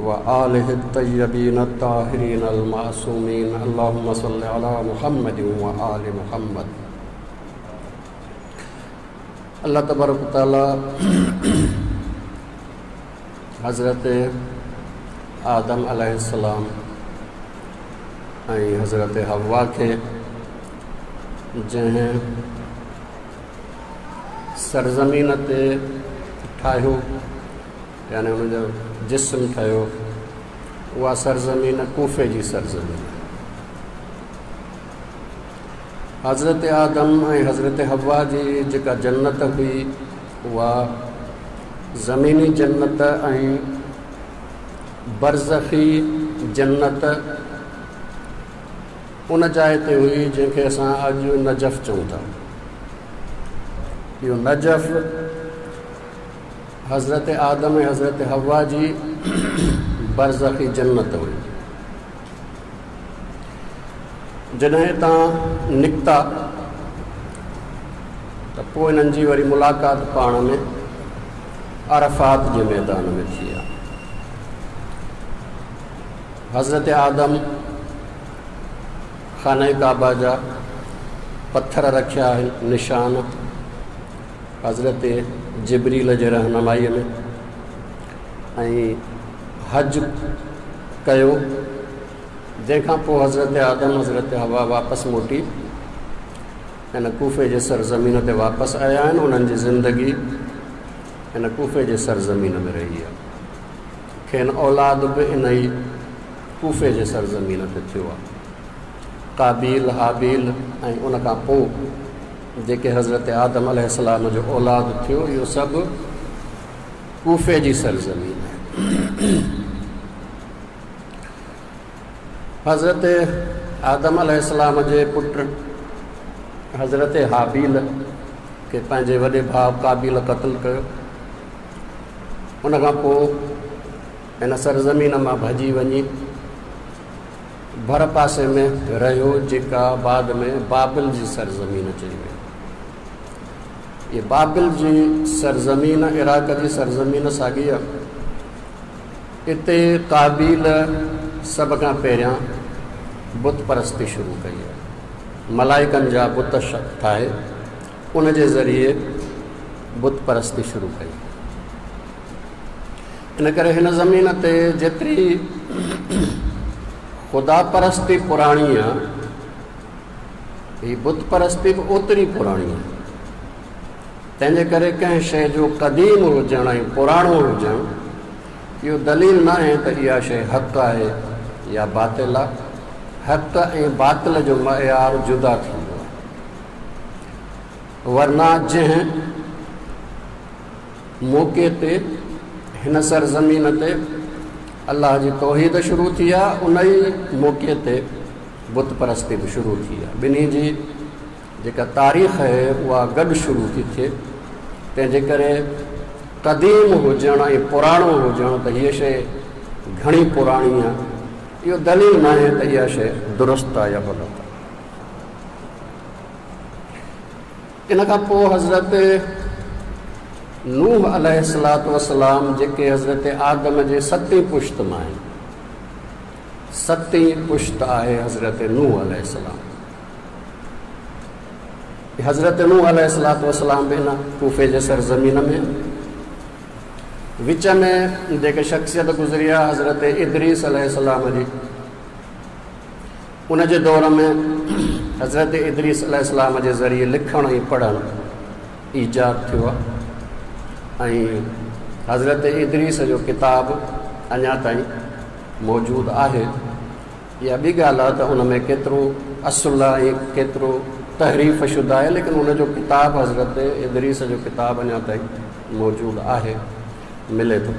وآله الطيبين الطاهرين المعصومين. اللهم صل على محمد وآل محمد. الله تبارڪ وتعاليٰ حضرت آدم عليه السلام ۽ حضرت حوا کي جنهن سرزمين تي ٺاهيو، يعني ان جو جسم ٺهيو، اها سرزمين ڪوفي جي سرزمين. حضرت آدم ۽ حضرت حوا جي جيڪا جنت هئي اها زميني جنت ۽ برزخي جنت ان جاء تي هئي جنهن کي اسان اڄ نجف چئون ٿا. اهو نجف حضرت آدم ۽ حضرت حوا جي برزخي جنت هئي. جڏهن اتان نڪتا ته پوء انهن جي وري ملاقات پاڻ ۾ عرفات جي ميدان ۾ ٿي آ. حضرت آدم خانه ڪعبه جا پٿر رکيا آهن نشان حضرت جبريل جي رهنمائيء ۾ ۽ حج ڪيو، جنهن کان پوء حضرت آدم حضرت حوا واپس موٽي هن ڪوفي جي سرزمين تي واپس آيا آهن. انهن جي زندگي هن ڪوفي جي سرزمين ۾ رهي آهي. کين اولاد به ان ئي ڪوفي جي سرزمين تي ٿيو آهي. قابيل، هابيل ۽ ان کان پوء جيڪي حضرت آدم عليه السلام جو اولاد ٿيو، اهو سڀ ڪوفي جي سرزمين آهي. حضرت آدم عليه السلام جي پٽ حضرت هابيل کي پنهنجي وڏي ڀاء قابيل قتل ڪيو. ان کان پوء هن سرزمين مان ڀڄي وڃي ڀر پاسي ۾ رهيو، جيڪا بعد ۾ بابل جي سرزمين چئي وئي. هي بابل جي سرزمين عراق جي سرزمين ساڳي آهي. اتي قابيل سڀ کان پهريان بت پرستي شروع ڪئي آهي. ملائڪن جا بت ٺاهي ان جي ذريعي بت پرستي شروع ڪئي. ان ڪري هن زمين تي جيتري خدا پرستي پراڻي آهي، هي بت پرستي به اوتري پراڻي آهي. تنهن جي ڪري ڪنهن شيء جو قديم هجڻ ۽ پراڻو هجڻ اهو دليل ناهي ته اها شيء حق آهي يا باطل آهي. حق ۽ باطل جو معيار جدا ٿيندو آهي. ورنه جنهن موقعي تي هن سرزمين تي الله جي توحيد شروع ٿي آهي، ان ئي موقعي تي بت پرستي به شروع ٿي آهي. ٻنهي جي جيڪا تاريخ آهي اها گڏ شروع ٿي ٿئي. تنهن جي ڪري قديم هجڻ ۽ پراڻو هجڻ ته هيء شيء گهڻي پراڻي آهي، اهو دليل ناهي ته اها شيء درست آهي يا غلط آهي. ان کان پوء حضرت نوح عليه الصلوة والسلام جيڪي حضرت آدم جي ستين پشت مان آهن، ستين پشت آهي حضرت نوح عليه السلام. حضرت نوح عليه الصلوة والسلام به هن ڪوفي جي سرزمين ۾ وچ ۾ جيڪي شخصيت گذري آهي حضرت ادريس عليه السلام جي، ان جي دور ۾ حضرت ادريس عليه السلام جي ذريعي لکڻ ۽ پڙهڻ ايجاد ٿيو آهي ۽ حضرت ادريس جو ڪتاب اڃا تائين موجود آهي. اها ٻي ڳالهه آهي ته ان ۾ ڪيترو اصل آهي ۽ ڪيترو تحريف شده آهي، ليڪن ان جو ڪتاب حضرت ادريس جو ڪتاب اڃا تائين موجود آهي، ملي ٿو.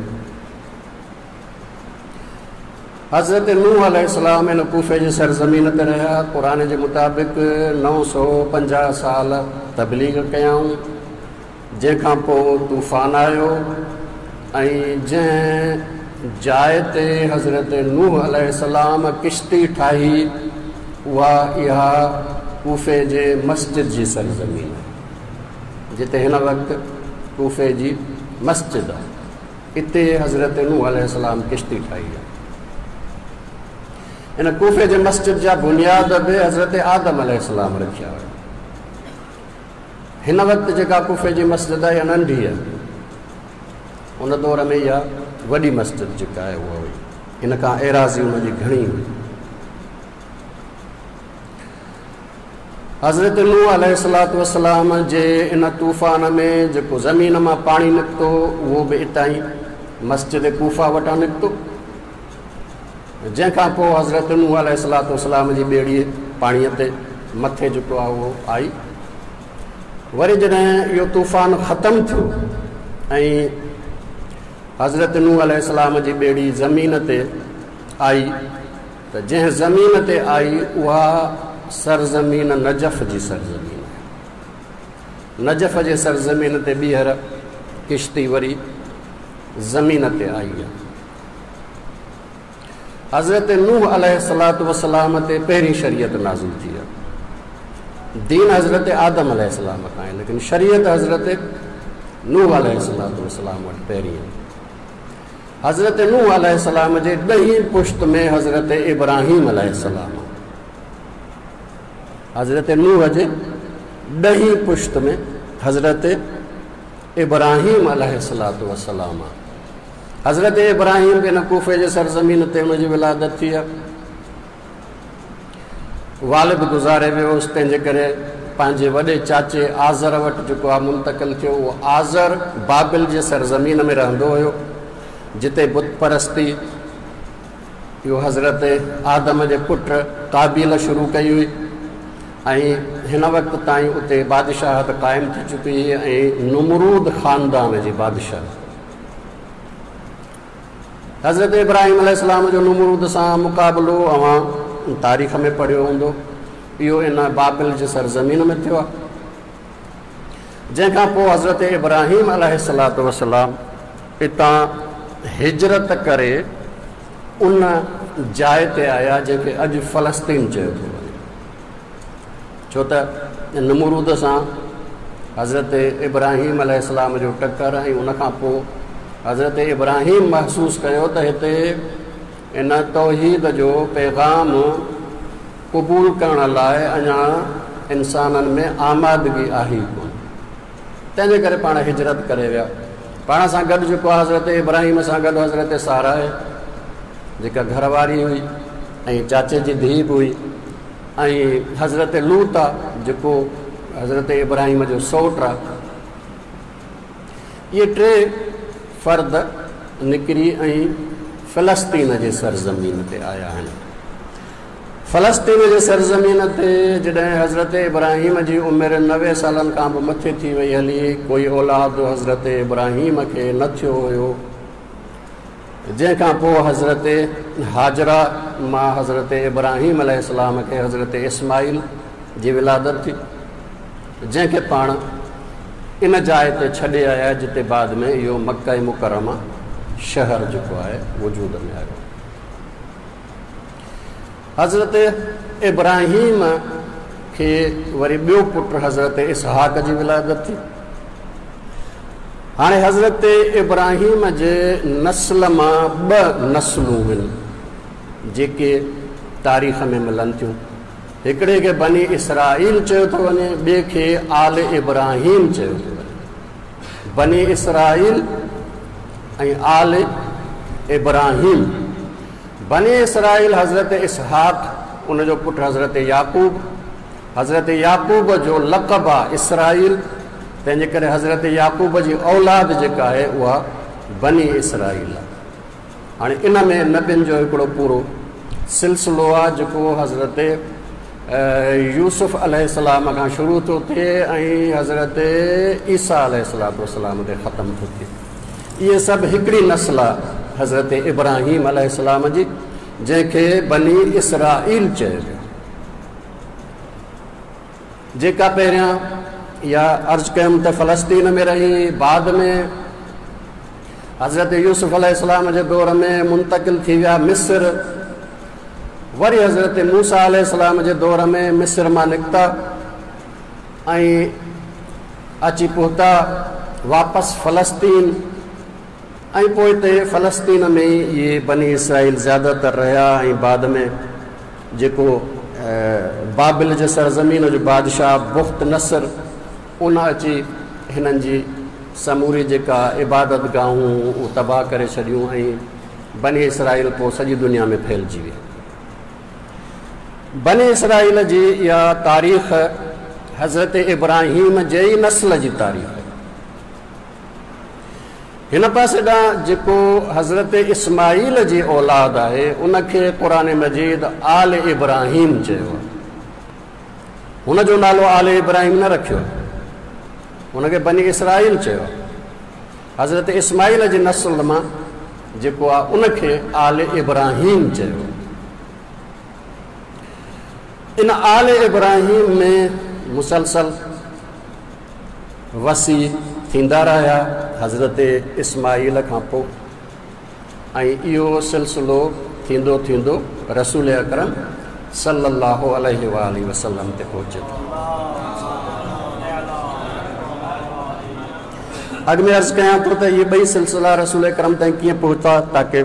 حضرت نوح عليه السلام هن ڪوفي جي سرزمين تي رهيا. قرآن جي مطابق 950 سال تبليغ ڪيائون، جنهن کان پوء طوفان آيو ۽ جنهن جاء تي حضرت نوح عليه السلام ڪشتي ٺاهي اها اها ڪوفي جي مسجد جي سرزمين آهي، جتي هن وقت ڪوفي جي مسجد آهي. اتي حضرت نوح عليه السلام ڪشتي ٺاهي آهي. ان ڪوفي جي مسجد جا بنياد به حضرت آدم عليه السلام رکيا هيا. هن وقت جيڪا ڪوفي جي مسجد آهي اها ننڍي آهي. ان دور ۾ اها وڏي مسجد جيڪا آهي اها هئي. ان کان ايراضي ان جي گهڻي هئي. حضرت نوح عليه الصلوة والسلام جي ان طوفان ۾ جيڪو زمين مان پاڻي نڪتو اهو به اتان ئي مسجد ڪوفه وٽان نڪتو، جنهن کان پوء حضرت نوح عليه الصلوة والسلام جي ٻيڙي پاڻيء تي مٿي جيڪو آهي اهو آئي. وري جڏهن اهو طوفان ختم ٿيو ۽ حضرت نوح عليه السلام جي ٻيڙي زمين تي آئي ته جنهن زمين تي آئي اها سرزمين نجف جي سرزمين آهي. نجف جي سرزمين تي ٻيهر ڪشتي وري زمين تي آئي آهي. حضرت نوح عليه الصلوة والسلام تي پهرين شريعت نازل ٿي آهي. دين حضرت آدم عليه السلام کان آهي، ليڪن شريعت حضرت نوح عليه الصلوة والسلام وٽ پهرين آهي. حضرت نوح عليه السلام جي ڏهين پشت ۾ حضرت ابراهيم عليه السلام آهي. حضرت نوح جي ڏهين پشت ۾ حضرت ابراهيم عليه الصلوة والسلام آهي. حضرت ابراهيم به ان ڪوفي جي سرزمين تي ان جي ولادت ٿي آهي. والد گذاري ويو هوس، تنهن جي ڪري پنهنجي وڏي چاچي آزر وٽ جيڪو آهي منتقل ٿيو. اهو آزر بابل جي سرزمين ۾ رهندو هيو، جتي بت پرستي اهو حضرت آدم جي پٽ قابيل شروع ڪئي هئي ۽ هن وقت تائين اتي بادشاهت قائم ٿي چڪي هئي ۽ نمرود خاندان جي بادشاهت. حضرت ابراهيم عليه السلام جو نمرود سان مقابلو اوهان تاريخ ۾ پڙهيو هوندو. اهو ان بابل جي سرزمين ۾ ٿيو آهي، جنهن کان پوء حضرت ابراهيم عليه الصلوة والسلام اتان هجرت ڪري ان جاء تي آيا جنهن کي اڄ فلسطين چيو ٿو وڃي، ڇو ته نمرود سان حضرت ابراهيم عليه السلام جو ٽڪر ۽ ان کان پوء حضرت ابراهيم محسوس ڪيو ته هتي ان توحيد جو پيغام قبول ڪرڻ لاء اڃا انسانن ۾ آمادگي آهي ئي ڪونه، تنهن جي ڪري پاڻ هجرت ڪري ويا. پاڻ سان گڏ جيڪو آهي حضرت ابراهيم سان گڏ حضرت ساره آهي جيڪا گهر واري هئي ۽ چاچي جي ڌيء به هئي، ۽ حضرت لوط آ جيڪو حضرت ابراهيم جو سئوٽ آ. اهي ٽي فرد نڪري ۽ فلسطين جي سرزمين تي آيا آهن. فلسطين جي سرزمين تي جڏهن حضرت ابراهيم جي عمر 90 سالن کان به مٿي ٿي وئي هلي، ڪوئي اولاد حضرت ابراهيم کي نه ٿيو هيو، جنهن کان پوء حضرت هاجره مان حضرت ابراهيم عليه السلام کي حضرت اسماعيل جي ولادت ٿي، جنهن کي پاڻ ان جاء تي ڇڏي آيا جتي بعد ۾ اهو مڪه مڪرمه شهر جيڪو آهي وجود ۾ آيو. حضرت ابراهيم کي وري ٻيو پٽ حضرت اسحاق جي ولادت ٿي. هاڻي حضرت ابراهيم جي نسل مان ٻه نسلون هن جيڪي تاريخ ۾ ملن ٿيون. هڪڙي کي بني اسرائيل چيو ٿو وڃي، ٻئي کي آل ابراهيم چيو ٿو وڃي. بني اسرائيل ۽ آل ابراهيم. بني اسرائيل حضرت اسحاق، ان جو پٽ حضرت يعقوب، حضرت يعقوب جو لقب آ اسرائيل، تنهن جي ڪري حضرت يعقوب جي اولاد جيڪا آهي اها بني اسرائيل آ. هاڻي ان ۾ نبين جو هڪڙو پورو سلسلو آ جيڪو حضرت يوسف عليه السلام کان شروع ٿو ٿئي ۽ حضرت عيسيٰ عليه الصلوة والسلام تي ختم ٿو ٿئي. اهي سڀ هڪڙي نسل آ حضرت ابراهيم عليه السلام جي، جنهن کي بني اسرائيل چيو ويو، جيڪا پهريان يا عرض ڪيم ته فلسطين ۾ رهي، بعد ۾ حضرت يوسف عليه السلام جي دور ۾ منتقل ٿي ويا مصر، وري حضرت موسيٰ عليه السلام جي دور ۾ مصر مان نڪتا ۽ اچي پهتا واپس فلسطين. ۽ پوء اتي فلسطين ۾ اهي بني اسرائيل زياده تر رهيا ۽ بعد ۾ جيڪو بابل جي سرزمين جو بادشاهه بخت نصر ان اچي هنن جي سموري جيڪا عبادت گاهون اهو تباهه ڪري ڇڏيون ۽ بني اسرائيل پوء سڄي دنيا ۾ ڦهلجي ويا. بني اسرائيل جي اها تاريخ حضرت ابراهيم جي ئي نسل جي تاريخ آهي. هن پاسي ڏانهن جيڪو حضرت اسماعيل جي اولاد آهي ان کي قرآن مجيد آل ابراهيم چيو آهي. هن جو نالو آل ابراهيم نه رکيو آهي، هن کي بني اسرائيل چيو آهي. حضرت اسماعيل جي نسل مان جيڪو آهي ان کي آل ابراهيم چيو آهي. ان آل ابراهيم ۾ مسلسل وصي ٿيندا رهيا حضرت اسماعيل کان پوء ۽ اهو سلسلو ٿيندو ٿيندو رسول اڪرم صلي الله عليه واٰله وسلم تي پهچي ٿو. اڳ ۾ عرض ڪيان ٿو ته اهي ٻئي سلسلا رسول اڪرم تائين ڪيئن پهتا تاڪه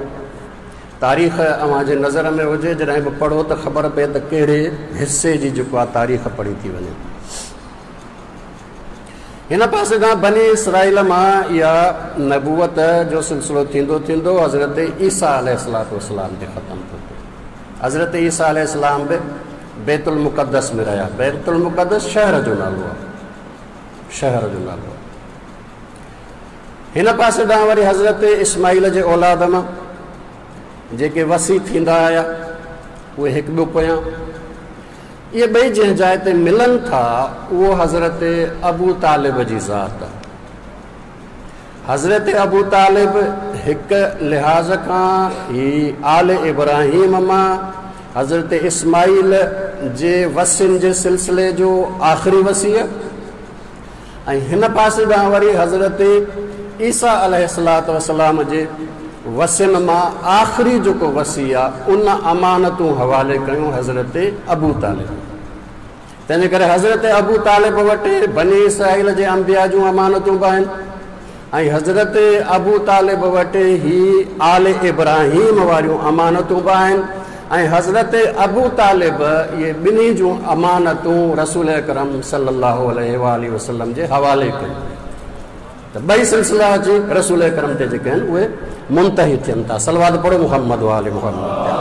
تاريخ اوهان جي نظر ۾ هجي، جڏهن به پڙهو ته خبر پئي ته ڪهڙي حصي جي جيڪو آهي تاريخ پڙهي ٿي وڃي. هن پاسي کان بني اسرائيل مان اها نبوت جو سلسلو ٿيندو ٿيندو حضرت عيسيٰ عليه الصلوة والسلام تي ختم ٿو ٿئي. حضرت عيسيٰ عليه السلام به بيت المقدس ۾ رهيا. بيت المقدس شهر جو نالو آهي، شهر جو نالو آهي. هن پاسي ڏانهن وري حضرت اسماعيل جي اولاد مان جيڪي وصي ٿيندا آيا اهي هڪ ٻيو پويان اهي ٻئي جنهن جاء تي ملن ٿا اهو حضرت ابو طالب جي ذات آهي. حضرت ابو طالب هڪ لحاظ کان هي آل ابراهيم مان حضرت اسماعيل جي وصين جي سلسلي جو آخري وصي آهي ۽ هن پاسي ڏانهن وري حضرت عيسيٰ عليه الصلوة والسلام جي وصين مان آخري جيڪو وصي آ ان امانتون حوالي ڪيون حضرت ابو طالب. تنهنجي ڪري حضرت ابو طالب وٽ بني اسرائيل جي انبياء جون امانتون به آهن ۽ حضرت ابو طالب وٽ هي آل ابراهيم واريون امانتون به آهن ۽ حضرت ابو طالب اهي ٻنهي جون امانتون رسول اڪرم صلي الله عليه واٰله وسلم جي حوالي ڪيون. ته ٻئي سلسلا اچي رسول اڪرم تي جيڪي آهن اهي منتهي ٿين ٿا. صلوات پڙهو محمد وآل محمد تي.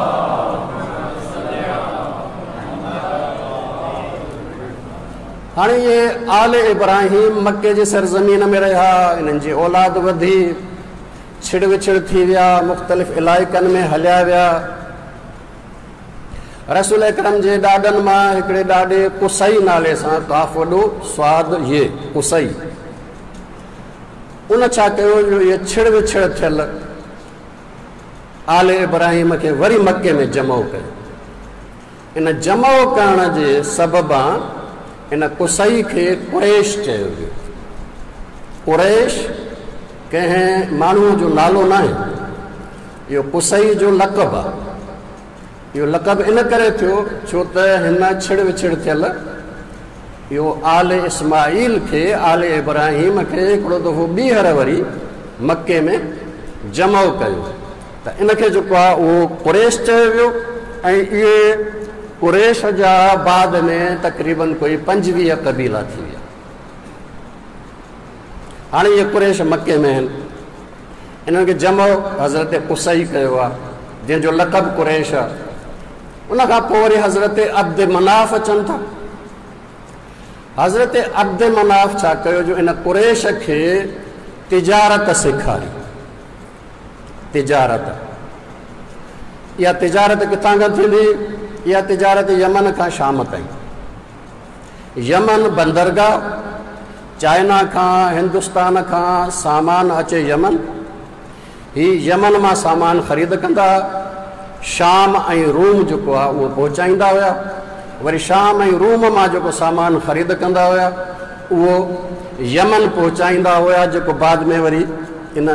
هاڻي اهي آل ابراهيم مڪي جي سرزمين ۾ رهيا، انهن جي اولاد وڌي، ڇڙ وڇڙ ٿي ويا، مختلف علائقن ۾ هليا ويا. رسول اڪرم جي ڏاڏن مان هڪڙي ڏاڏي قصي نالي سان، قاف وڏو صاد ي، قصي، ان ڇا ڪيو جو اهي ڇڙ وڇڙ ٿيل آل ابراهيم کي وري مڪي ۾ جمع ڪيو. ان جمع ڪرڻ جي سببان ان قصي کي قريش چيو ويو. قريش ڪنهن ماڻهوء جو نالو ناهي، اهو قصي جو لقب آهي. اهو لقب ان ڪري ٿيو ڇو ته هن ڇڙ وڇڙ ٿيل اهو آل اسماعيل کي، آل ابراهيم کي هڪڙو دفعو ٻيهر وري مڪي ۾ جمع ڪيو ته ان کي جيڪو آهي اهو قريش چيو ويو ۽ اهي قريش جا بعد ۾ تقريبن ڪوئي 25 قبيلا ٿي ويا. هاڻي اهي قريش مڪي ۾ آهن. انهن کي جمع حضرت قصي ڪيو آهي جنهن جو لقب قريش آهي. ان کان پوء وري حضرت عبد مناف اچن ٿا. حضرت عبد مناف ڇا ڪيو جو ان قريش کي تجارت سيکاري. تجارت، اها تجارت ڪٿان کان ٿيندي؟ اها تجارت يمن کان شام تائين. يمن بندرگاهه، چائنا کان هندستان کان سامان اچي يمن، هي يمن مان سامان خريد ڪندا ها، شام ۽ روم جيڪو آهي اهو پهچائيندا هيا، وري شام ۽ روم مان جيڪو سامان خريد ڪندا هيا اهو يمن پهچائيندا هيا، جيڪو بعد ۾ وري ان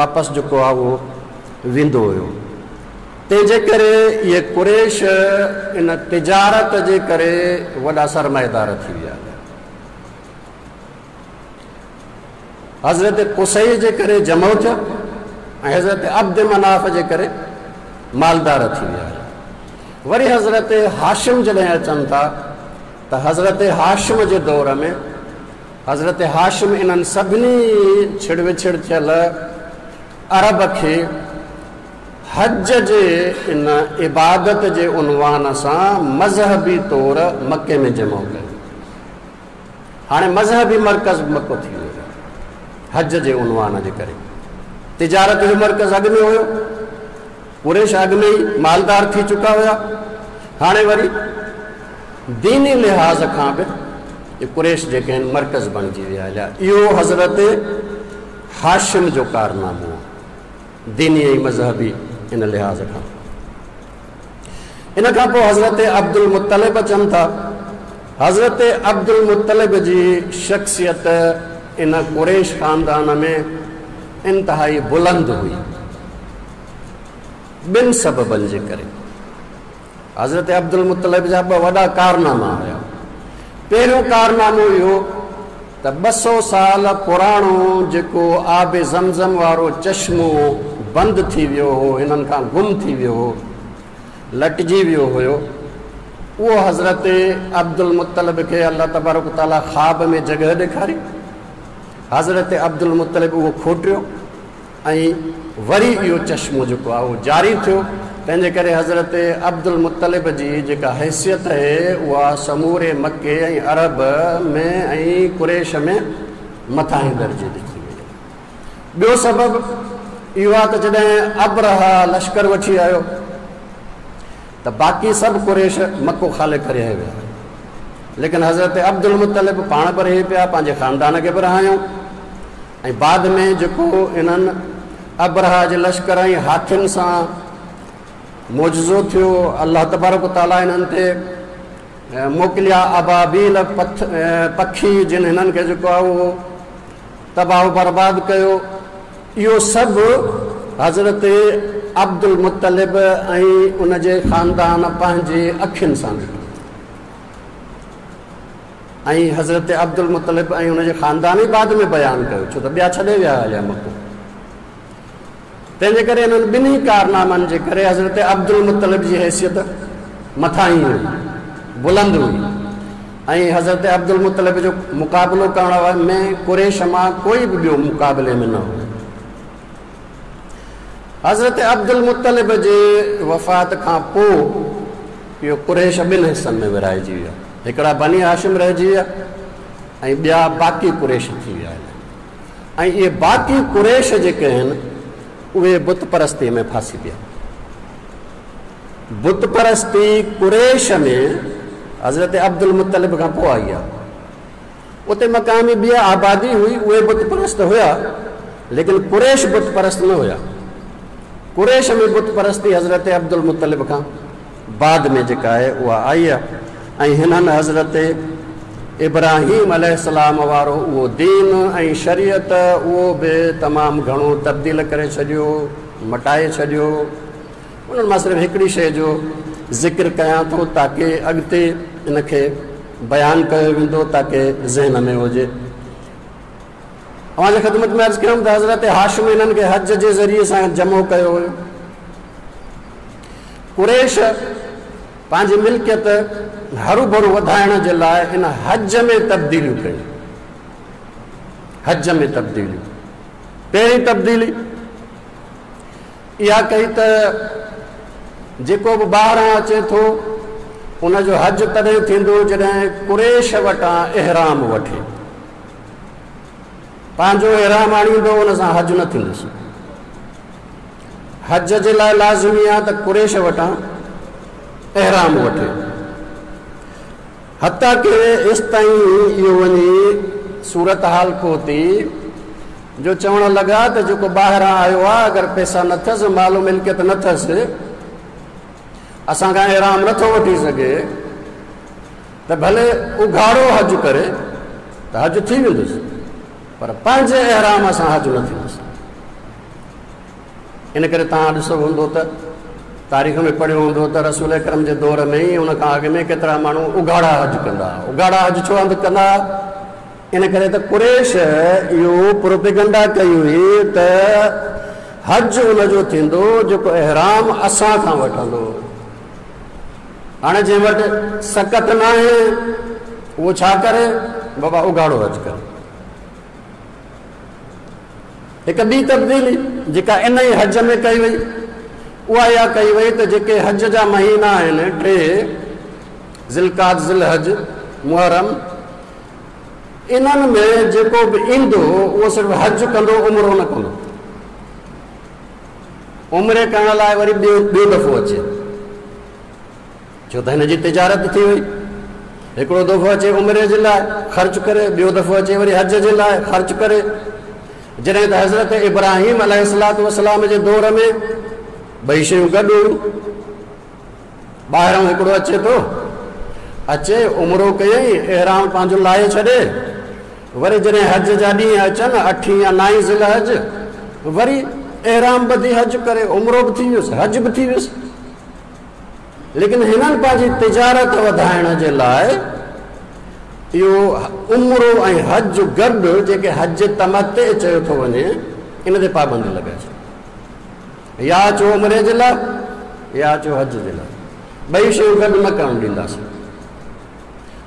واپس جيڪو آهي اهو ويندو هيو. تنهن جي ڪري اهي قريش ان تجارت جي ڪري وڏا سرمائيدار ٿي ويا. حضرت قصي جي ڪري جمع ٿيا. ۽ حضرت عبد مناف جي ڪري مالدار ٿي ويا هيا. وري حضرت هاشم جڏهن اچن ٿا ته حضرت هاشم جي دور ۾ حضرت هاشم انهن سڀني ڇڙ وڇڙ ٿيل عرب کي حج جي ان عبادت جي عنوان سان مذهبي طور مڪي ۾ جمع ڪيو. هاڻي مذهبي مرڪز مڪو ٿي ويو حج جي عنوان جي ڪري. تجارت جو مرڪز اڳ ۾ هيو، قريش اڳ ۾ ئي مالدار ٿي چڪا هيا، هاڻي وري ديني لحاظ کان به قريش جيڪي آهن مرڪز بڻجي ويا هليا. اهو حضرت هاشم جو ڪارنامو آهي ديني ۽ مذهبي ان لحاظ کان. ان کان پوء حضرت عبدالمطلب اچن ٿا. حضرت عبدالمطلب جي شخصيت ان قريش خاندان ۾ انتهائي بلند هئي، ٻن سببن جي ڪري. حضرت عبدالمطلب جا ٻه وڏا ڪارناما هيا. پهريون ڪارنامو اهو ته 200 سال پراڻو جيڪو آب زمزم وارو چشمو بند ٿي ويو هو، هنن کان گم ٿي ويو هو، لٽجي ويو هيو، اهو حضرت عبدالمطلب کي الله تبارڪ وتعاليٰ خواب ۾ جڳهه ڏيکاري. حضرت عبدالمطلب اهو کوٽيو ۽ وري اهو چشمو جيڪو آهي اهو جاري ٿيو. تنهن جي ڪري حضرت عبدالمطلب جي جيڪا حيثيت اهي اها سموري مڪي ۽ عرب ۾ ۽ قريش ۾ مٿاهين درجي جي ٿي وئي. ٻيو سبب اهو آهي ته جڏهن ابرهه لشڪر وٺي آيو ته باقي سڀ قريش مڪو خالي ڪري هليا ويا، ليڪن حضرت عبدالمطلب پاڻ به رهي پيا، پنهنجي خاندان کي به رهايائون ۽ بعد ۾ جيڪو انهن ابرهه جي لشڪر ۽ هاٿين سان معجزو ٿيو، الله تبارڪ وتعاليٰ انهن تي موڪليا ابابيل پکي جن هنن کي جيڪو آهي اهو تباهه و برباد ڪيو. اهو سڀ حضرت عبدالمطلب ۽ ان جي خاندان پنهنجي اکين سان ڏٺو ۽ حضرت عبدالمطلب ۽ ان جي خاندان ئي بعد ۾ بيان ڪيو، ڇو ته ٻيا ڇڏي ويا هليا مڪو. تنهن جي ڪري انهن ٻنهي ڪارنامن جي ڪري حضرت عبدالمطلب جي حيثيت مٿاهين هئي، بلند هئي ۽ حضرت عبدالمطلب جو مقابلو ڪرڻ ۾ قريش مان ڪوئي به ٻيو مقابلي ۾ نه هو. حضرت عبدالمطلب جي وفات کان پوء اهو قريش ٻن حصن ۾ ورهائجي ويا، هڪڙا بني هاشم رهجي ويا ۽ ٻيا باقي قريش ٿي ويا. ۽ اهي باقي قريش جيڪي آهن اهي بت پرستيء ۾ ڦاسي پيا. بت پرستي قريش ۾ حضرت عبدالمطلب کان پوء آئي آهي. اتي مقامي ٻي آبادي هئي، اهي بت پرست هيا، ليڪن قريش بت پرست نه هيا. قريش ۾ بت پرستي حضرت عبدالمطلب کان بعد ۾ جيڪا آهي اها آئي آهي ۽ هنن حضرت ابراهيم عليه السلام وارو اهو دين ۽ شريعت اهو به تمام گهڻو تبديل ڪري ڇڏيو، مٽائي ڇڏيو. انهن مان صرف هڪڙي شيء جو ذڪر ڪيان ٿو تاڪه اڳتي ان کي بيان ڪيو ويندو تاڪه ذهن ۾ هجي. اوهان جي خدمت ۾ عرض ڪيم ته حضرت هاشم انهن کي حج جي ذريعي سان جمع ڪيو هيو. قريش پنهنجي ملڪيت هروڀرو وڌائڻ جي لاء ان حج ۾ تبديليون ڪيون. حج ۾ تبديليون، پهرين تبديلي اها ڪئي ته جيڪو به ٻاهران اچي ٿو ان جو حج تڏهن ٿيندو جڏهن قريش وٽان احرام وٺي. پنهنجو احرام آڻيندو ان سان حج نه ٿيندس. حج جي لاء لازمي آهي ته قريش وٽان احرام وٺي. حتيٰ ڪه ايستائين اهو وڃي صورتحال پهتي جو چوڻ لڳا ته جيڪو ٻاهران آيو آهي اگر پئسا نه اٿس، مال و ملڪيت نه اٿس، اسان کان احرام نه ٿو وٺي سگهي ته ڀلي اگهاڙو حج ڪري ته حج ٿي ويندس، پر پنهنجي احرام سان حج نه ٿيندس. ان ڪري توهان ڏسو هوندو ته تاريخ ۾ پڙهيو هوندو ته رسول اڪرم جي دور ۾ ئي ان کان اڳ ۾ ڪيترا ماڻهو اگهاڙا حج ڪندا هئا. اگهاڙا حج ڇو هنڌ ڪندا هئا؟ ان ڪري ته قريش اهو پروپيگنڊا ڪئي هئي ته حج ان جو ٿيندو جيڪو احرام اسان کان وٺندو. هاڻي جنهن وٽ سڪت ناهي اهو ڇا ڪري؟ بابا اگهاڙو حج ڪري. هڪ ٻي تبديلي جيڪا ان ئي حج ۾ ڪئي وئي اها اها ڪئي وئي ته جيڪي حج جا مهينا آهن ٽي، ذوالقعد، ذوالحج، محرم، انهن ۾ جيڪو به ايندو اهو صرف حج ڪندو عمرو نه ڪندو. عمري ڪرڻ لاء وري ٻيو دفعو اچي، ڇو ته هن جي تجارت ٿي وئي. هڪڙو دفعو اچي عمري جي لاء خرچ ڪري، ٻيو دفعو اچي وري حج جي لاء خرچ ڪري. جڏهن ته حضرت ابراهيم عليه الصلوة والسلام جي دور ۾ ٻئي شيون گڏ هيون. ٻاهران هڪڙو اچي ٿو، اچي عمرو ڪيائين، احرام پنهنجو لاهي ڇڏي، وري جڏهن حج جا ڏينهن اچن، اٺين يا نائين ذوالحج، وري احرام ٻڌي حج ڪري، عمرو به ٿي ويس، حج به ٿي ويس. ليڪن هنن پنهنجي تجارت وڌائڻ جي لاء اهو عمرو ۽ حج گڏ، جيڪي حج تمتع چيو ٿو وڃي، ان تي پابندي لڳائي ڇڏي. يا اچو عمري جي لاء يا اچو حج جي لاء، ٻئي شيون گڏ نه ڪرڻ ڏينداسين.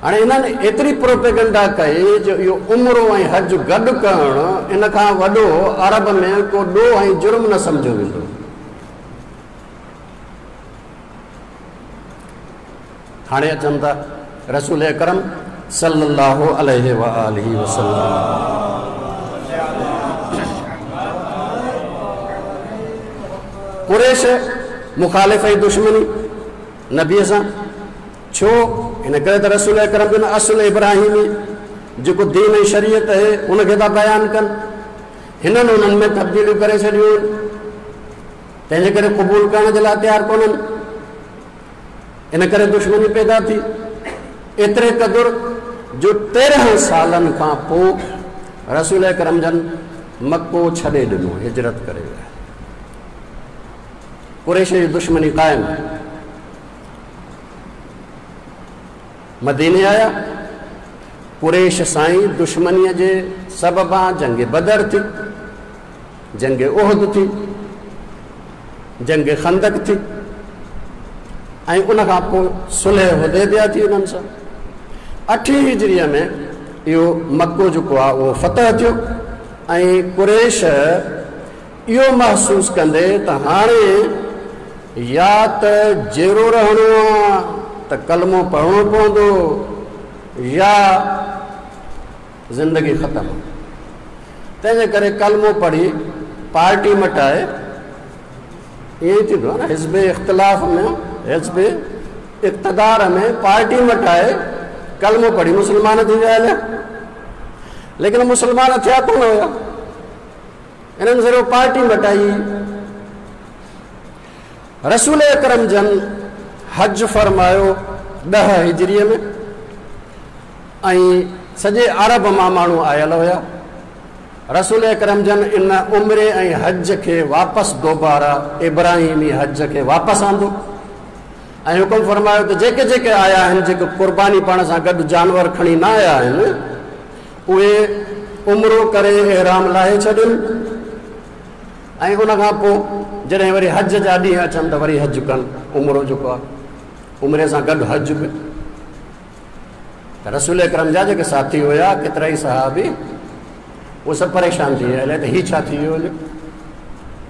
هاڻي انهن ايتري پروپيگنڊا ڪئي جو اهو عمرو ۽ حج گڏ ڪرڻ ان کان وڏو عرب ۾ ڪو ڏوهه ۽ جرم نه سمجهيو ويندو. هاڻي اچن ٿا رسول اڪرم صلي الله عليه وآله وسلم. قريش مخالف ۽ دشمني نبيء سان ڇو؟ ان ڪري ته رسول اڪرم جن اصل ابراهيمي جيڪو دين ۽ شريعت آهي ان کي ٿا بيان ڪن. هنن انهن ۾ تبديليون ڪري ڇڏيون آهن، تنهن جي ڪري قبول ڪرڻ جي لاء تيار ڪونهن. ان ڪري دشمني پيدا ٿي. ايتري قدر جو 13 سالن کان پوء رسول اڪرم جن مڪو ڇڏي ڏنو، هجرت ڪري ويا. قريش جي دشمني قائم. مديني آيا، قريش سان ئي دشمنيء جي سببان جنگ بدر ٿي، جنگ احد ٿي، جنگ خندق ٿي ۽ ان کان پوء صلح حديبيه ٿي انهن سان. اٺين هجريء ۾ اهو مڪو جيڪو آهي اهو فتح ٿيو ۽ قريش اهو محسوس ڪندي ته هاڻي يا ته جيئرو رهڻو آ ته ڪلمو پڙهڻو پوندو يا زندگي ختم آ. تنهن جي ڪري ڪلمو پڙهي پارٽي مٽائي، ائين ئي ٿيندو آ نه، حزب اختلاف ۾ حزب اقتدار ۾ پارٽي مٽائي ڪلمو پڙهي مسلمان ٿي ويا هليا. ليڪن مسلمان ٿيا ڪونه هيا، انهن صرف پارٽي مٽائي. رسول اڪرم جن حج فرمايو 10 هجريء ۾ ۽ سڄي عرب مان ماڻهو آيل هيا. رسول اڪرم جن ان عمري ۽ حج کي واپس دوباره ابراهيمي حج کي واپس آندو ۽ حڪم فرمايو ته جيڪي جيڪي آيا آهن، جيڪي قرباني پاڻ سان گڏ جانور کڻي نه آيا آهن، اهي عمرو ڪري احرام لاهي ڇڏين ۽ ان کان پوء جڏهن وري حج جا ڏينهن اچن ته وري حج ڪن. عمرو جيڪو آهي عمري سان گڏ حج به. ته رسول اڪرم جا جيڪي ساٿي هيا ڪيترا ئي صحابي، اهي سڀ پريشان ٿي ويا، الائي ته هي ڇا ٿي ويو هليو،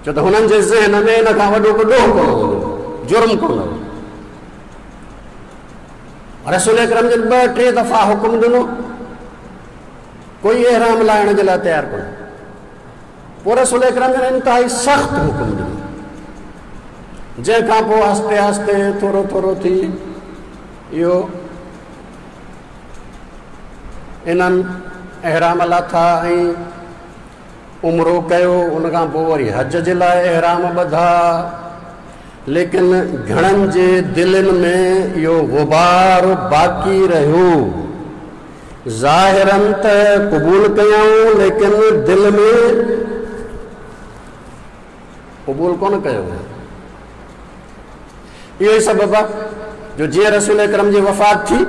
ڇو ته هنن جي ذهن ۾ ان کان وڏو ڪو ڏوهه ڪونه هوندو، جرم ڪونه هو. رسول اڪرم جن 2 3 دفعا حڪم ڏنو، ڪوئي احرام لاهڻ جي لاء تيار ڪونه. پوء رسول اڪرم جن انتهائي سخت حڪم ڏنو، جنهن کان پوء آهستي آهستي ٿورو ٿورو ٿي اهو انهن احرام لاٿا ۽ عمرو ڪيو. ان کان پوء وري حج جي لاء احرام ٻڌا. ليڪن گهڻن جي دلين ۾ اهو غبار باقي رهيو. ظاهراً ته قبول ڪيائون ليڪن دل ۾ قبول ڪونه ڪيو ويو. اهو ئي سبب آهي جو جيئن رسول اڪرم جي وفات ٿي،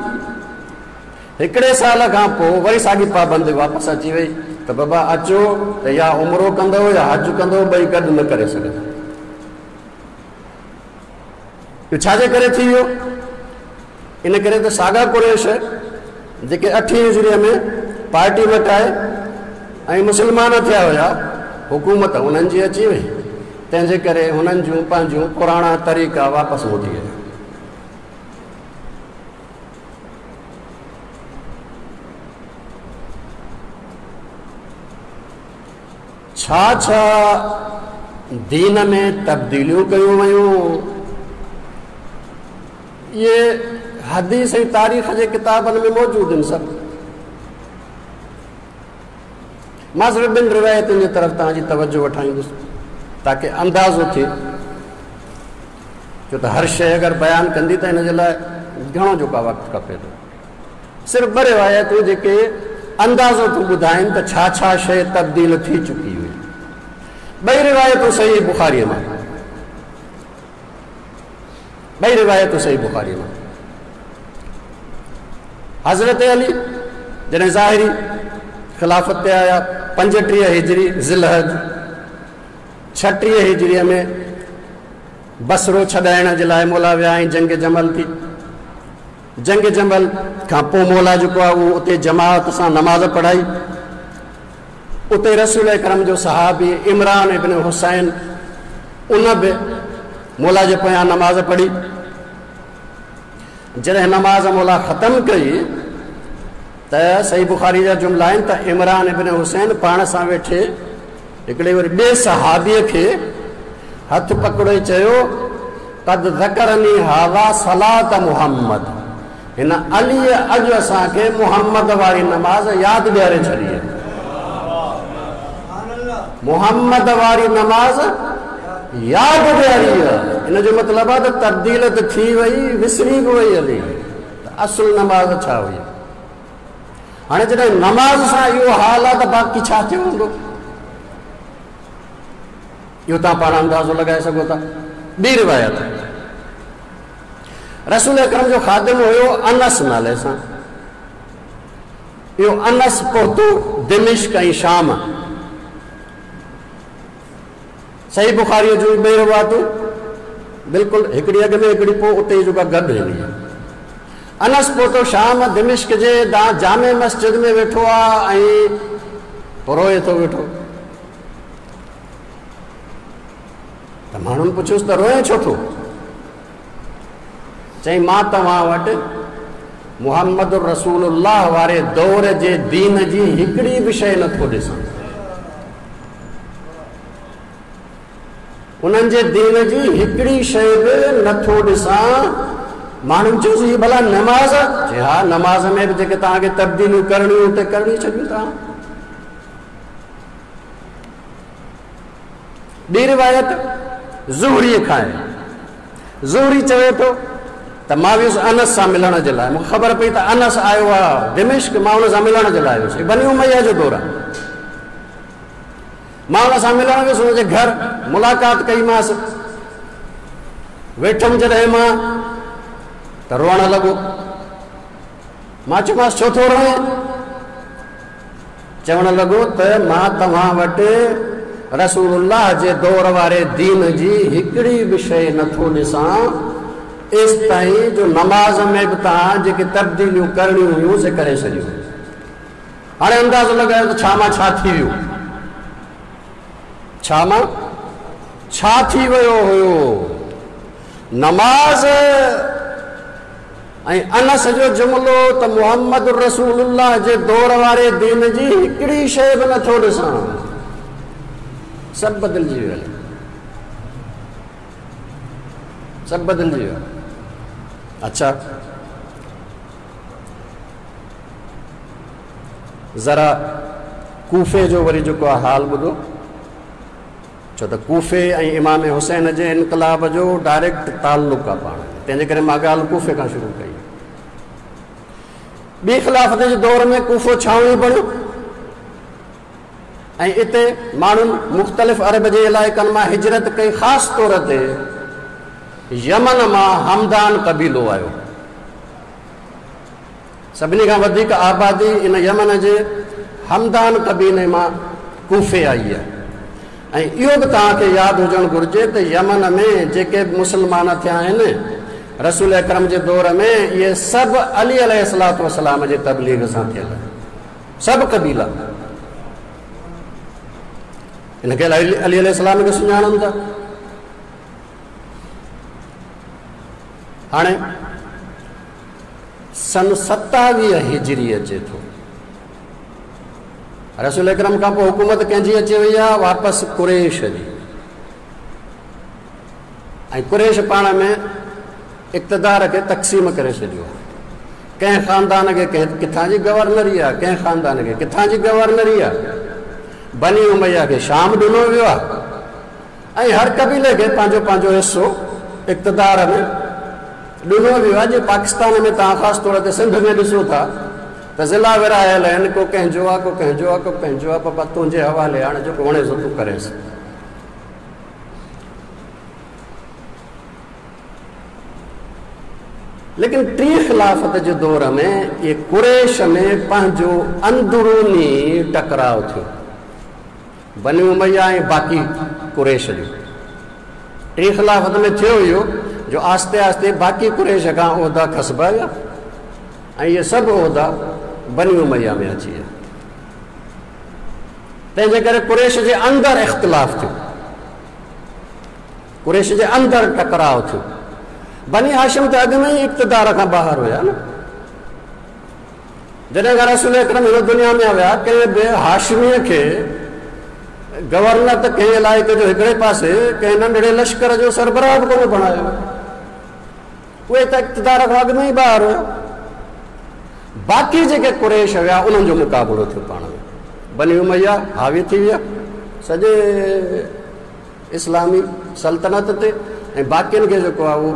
هڪڙي سال کان پوء وري ساڳي پابندي واپس اچي وئي ته بابا اچو ته يا عمرو ڪندؤ يا حج ڪندؤ، ٻئي گڏ نه ڪري سگهندا. اهو ڇا جي ڪري ٿي ويو؟ ان ڪري ته ساڳا قريش جيڪي اٺين هجريء ۾ پارٽي مٽائي ۽ مسلمان ٿيا هيا، حڪومت انهن جي اچي وئي، تنهن جي ڪري هنن جون پنهنجون پراڻا طريقا واپس موٽي آيا. ڇا ڇا دين ۾ تبديليون ڪيون ويون، اهي حديث ۽ تاريخ جي ڪتابن ۾ موجود آهن سڀ. مان صرف ٻن روايتن جي طرف توهان جي توجه وٺائيندس تاڪه اندازو ٿئي، ڇو ته هر شيء اگر بيان ڪندي ته ان جي لاء گهڻو جيڪو وقت کپي ٿو. صرف ٻه روايتون جيڪي اندازو ٿيون ٻڌائين ته ڇا ڇا شيء تبديل ٿي چڪي هئي. ٻئي روايتون صحيح بخاريء مان. ٻئي روايتون صحيح بخاريء مان. حضرت علي جڏهن ظاهري خلافت تي آيا 35 هجري ذوالحج 36 هجريء ۾ بصرو ڇڏائڻ جي لاء مولا ويا ۽ جنگ جمل ٿي. جنگ جمل کان پوء مولا جيڪو آهي اهو اتي جماعت سان نماز پڙهائي. اتي رسول اڪرم جو صحابي عمران ابن حصين ان به مولا جي پويان نماز پڙهي. جڏهن نماز مولا ختم ڪئي ته صحيح بخاري جا جملا آهن ته عمران ابن حصين پاڻ سان ويٺي هڪڙي وري ٻئي صحابيء کي هٿ پڪڙي چيو، قد ذڪرني هذا صلاة محمد، هن عليء اڄ اسان کي محمد واري نماز ياد ڏياري ڇڏي آهي. محمد واري نماز ياد ڏياري آهي. ان جو مطلب آهي ته تبديل ته ٿي وئي، وسري به وئي هلي ته اصل نماز ڇا هئي. هاڻي جڏهن نماز سان اهو حال آهي ته باقي ڇا ٿيو هوندو؟ اهو توهان پاڻ اندازو لڳائي سگهو ٿا. ٻي روايت، رسول اڪرم جو خادم هيو انس نالي سان. اهو انس پهتو دمشق ۽ شام. صحيح بخاريء جون ٻئي روايتون بلڪل هڪڙي اڳ ۾ هڪڙي پوء اتي ئي جيڪا گڏ هلي. انس پهتو شام دمشق جي جامع مسجد ۾ ويٺو آ ۽ روئي ٿو ويٺو. ته ماڻهن پڇيس ته روئين ڇو ٿو؟ چئين مان توهان وٽ محمد رسول الله واري دور جي دين جي هڪڙي به شيء نٿو ڏسان. انهن جي دين جي هڪڙي شيء به نٿو ڏسان. ماڻهن چيس هي ڀلا نماز؟ چي ها نماز ۾ به جيڪي توهان کي تبديليون ڪرڻيون اتي ڪرڻي ڇڏيون توهان. ٻي روايت زهريء کان آهي. زهري چوي ٿو ته مان ويس انس سان ملڻ جي لاء، مون کي خبر پئي ته انس آيو آهي دمشق، مان ان سان ملڻ جي لاء ويس. هي بني اميه جو دور آهي. مان ان سان ملڻ ويس، ان جي گهر ملاقات ڪئي مانس. ويٺم جڏهن مان ته روئڻ لڳو. مان چيومانس ڇو ٿو روئين؟ چوڻ لڳو ته مان توهان وٽ رسول الله جي دور واري دين جي هڪڙي به شيء نٿو ڏسان، ايستائين جو نماز ۾ به توهان جيڪي تبديليون ڪرڻيون هيون سي ڪري ڇڏيون. هاڻي اندازو لڳايو ته ڇا مان ڇا ٿي ويو؟ ڇا مان ڇا ٿي ويو هيو؟ نماز ۽ انس جو جملو ته محمد رسول الله جي دور واري دين جي هڪڙي شيء به نٿو ڏسان، سڀ بدلجي ويو، سڀ بدلجي ويو. اڇا ذرا ڪوفي جو وري جيڪو آهي حال ٻڌو، ڇو ته ڪوفي ۽ امام حسين جي انقلاب جو ڊائريڪٽ تعلق آهي پاڻ ۾، تنهن جي ڪري مان ڳالهه ڪوفي کان شروع ڪئي. ٻي خلافت جي دور ۾ ڪوفو ڇانوڻي بڻيو ۽ اتي ماڻهن مختلف عرب جي علائقن مان هجرت ڪئي، خاص طور تي يمن مان همدان قبيلو آيو. سڀني کان وڌيڪ آبادي ان يمن جي همدان قبيلي مان ڪوفي آئي آهي ۽ اهو به توهان کي ياد هجڻ گهرجي ته يمن ۾ جيڪي به مسلمان ٿيا آهن رسول اڪرم جي دور ۾ اهي سڀ علي عليه الصلوة والسلام جي تبليغ سان ٿيل آهن. سڀ قبيلا ان کي علي عليه السلام کي سڃاڻن ٿا. هاڻي سن 27 هجري اچي ٿو. رسول اڪرم کان پوء حڪومت ڪنهن جي اچي وئي آهي؟ واپس قريش جي. ۽ قريش پاڻ ۾ اقتدار کي تقسيم ڪري ڇڏيو آهي. ڪنهن خاندان کي ڪنهن ڪٿان جي گورنري آهي، ڪنهن خاندان کي ڪٿان جي گورنري آهي. بني اميه کي شام ڏنو ويو آهي ۽ هر قبيلي کي پنهنجو پنهنجو حصو اقتدار ۾ ڏنو ويو آهي. جيئن پاڪستان ۾ توهان خاص طور تي سنڌ ۾ ڏسو ٿا ته ضلعا ورهايل آهن، ڪو ڪنهن جو آهي، ڪو ڪنهن جو آهي، ڪو ڪنهن جو آهي، بابا تنهنجي حوالي هاڻي جيڪو وڻي سو تون ڪريس. ليڪن ٽين خلافت جي دور ۾ اهي قريش ۾ پنهنجو اندروني ٽڪراء ٿيو، بني اميه ۽ باقي قريش جو. ٽين خلافت ۾ ٿيو اهو جو آهستي آهستي باقي قريش کان عهدا کسبا ويا ۽ اهي سڀ عهدا بني اميه ۾ اچي ويا. تنهن جي ڪري قريش جي اندر اختلاف ٿيو، قريش جي اندر ٽڪراء ٿيو. بني هاشم ته اڳ ۾ ئي اقتدار کان ٻاهر هيا نه. جڏهن کان رسول اڪرم هن دنيا ۾ آيا، ڪنهن به هاشميء کي گورنر ته ڪنهن علائقي جو هڪڙي پاسي، ڪنهن ننڍڙي لشڪر جو سربراهه به ڪونه بڻايو. اهي ته اقتدار کان اڳ ۾ ئي ٻاهر هيا. باقي جيڪي قريش هيا انهن جو مقابلو ٿيو پاڻ ۾. بني اميه حاوي ٿي ويا سڄي اسلامي سلطنت تي ۽ باقين کي جيڪو آهي اهو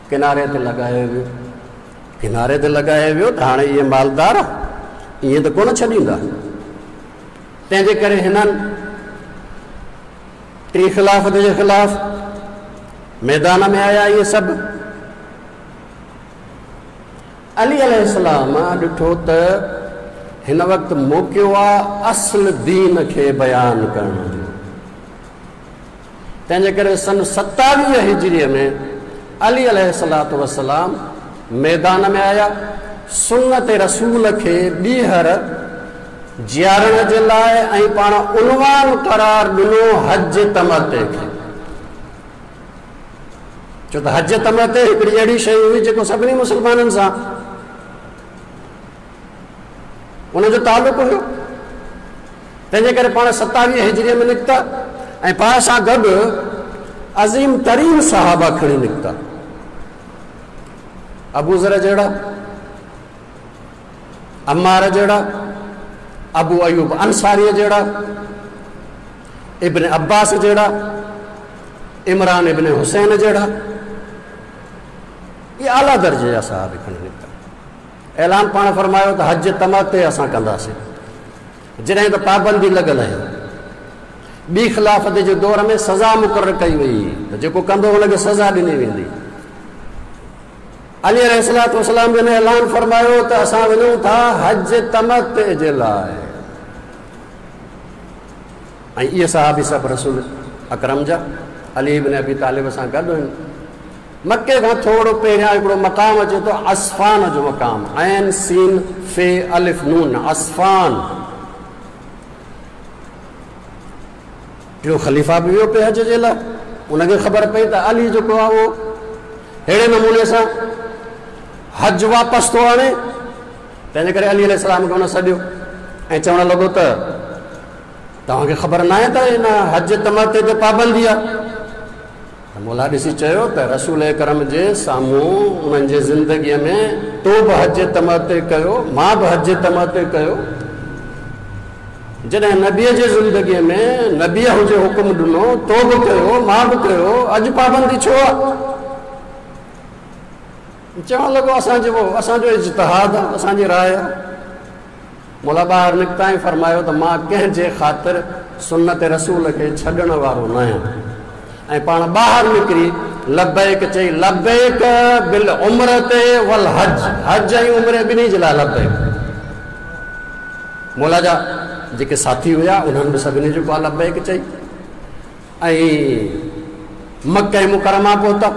ڪناري تي لڳايو ويو. ڪناري تي لڳايو ويو ته هاڻي اهي مالدار ائين ته ڪونه ڇڏيندا. تنهن جي ڪري هنن ٽين خلافت جي خلاف ميدان ۾ آيا. اهي سڀ علي عليه السلام ڏٺو ته هن وقت موقعو آ اصل دين کي بيان ڪرڻ جو. تنهن جي ڪري سن 27 هجريء ۾ علي عليه الصلوة والسلام ميدان ۾ آيا، سنت رسول کي ٻيهر جيارڻ جي لاء ۽ پاڻ عنوان قرار ڏنو حج تمتع کي. ڇو ته حج تمتع هڪڙي اهڙي شيء هئي جيڪو سڀني مسلمانن سان ان جو تعلق هيو. تنهن جي ڪري پاڻ 27 هجريء ۾ نڪتا ۽ پاڻ سان گڏ عظيم ترين صحابه کڻي نڪتا، ابو ذر جهڙا، عمار جهڙا، ابو ايوب انصاريء جهڙا، ابن عباس جهڙا، عمران ابن حسين جهڙا، اهي اعليٰ درجي جا صحابي کڻي نڪتا. اعلان پاڻ فرمايو ته حج تمتع اسان ڪنداسين، جڏهن ته پابندي لڳل آهي. ٻي خلافت جي دور ۾ سزا مقرر ڪئي وئي ته جيڪو ڪندو ان کي سزا ڏني ويندي. علي عليه الصلوة والسلام جن اعلان فرمايو ته اسان وڃون ٿا حج تمتع جي لاء، ۽ اهي صحابي سڀ رسول اڪرم جا علي بن ابي طالب سان گڏ هن. مڪي کان ٿورو پهريان هڪڙو مقام اچي ٿو عسفان جو مقام، عين سين ف الف نون، عسفان. ٽيون خليفه به ويو پئي حج جي لاء، ان کي خبر پئي ته علي جيڪو آهي اهو ههڙي نموني سان حج واپس ٿو آڻي، تنهن جي ڪري علي عليه السلام کي هن سڏيو ۽ چوڻ لڳو ته توهان کي خبر ناهي ته هن حج تمتع تي پابندي آهي؟ ته مولا ڏسي چيو ته رسول اڪرم جي سامهون انهن جي زندگيء ۾ تو به حج تمتع ڪيو، مان به حج تمتع ڪيو. جڏهن نبيء جي زندگيء ۾ نبيء هجي حڪم ڏنو، تو به ڪيو، مان به ڪيو، اڄ پابندي ڇو آ؟ چوڻ لڳو اسان جو اجتهاد آ، اسان جي راء آ. مولا ٻاهر نڪتا ۽ فرمايو ته مان ڪنهن جي خاطر سنت رسول کي ڇڏڻ وارو ناهيان ۽ پاڻ ٻاهر نڪري لبيڪ چئي لبيڪ بالعمرة والحج، حج ۽ عمري ٻنهي جي لاء لبيڪ. مولا جا جيڪي ساٿي هيا انهن به سڀني جيڪو آهي لبيڪ چئي ۽ مڪه مڪرمه پهتا.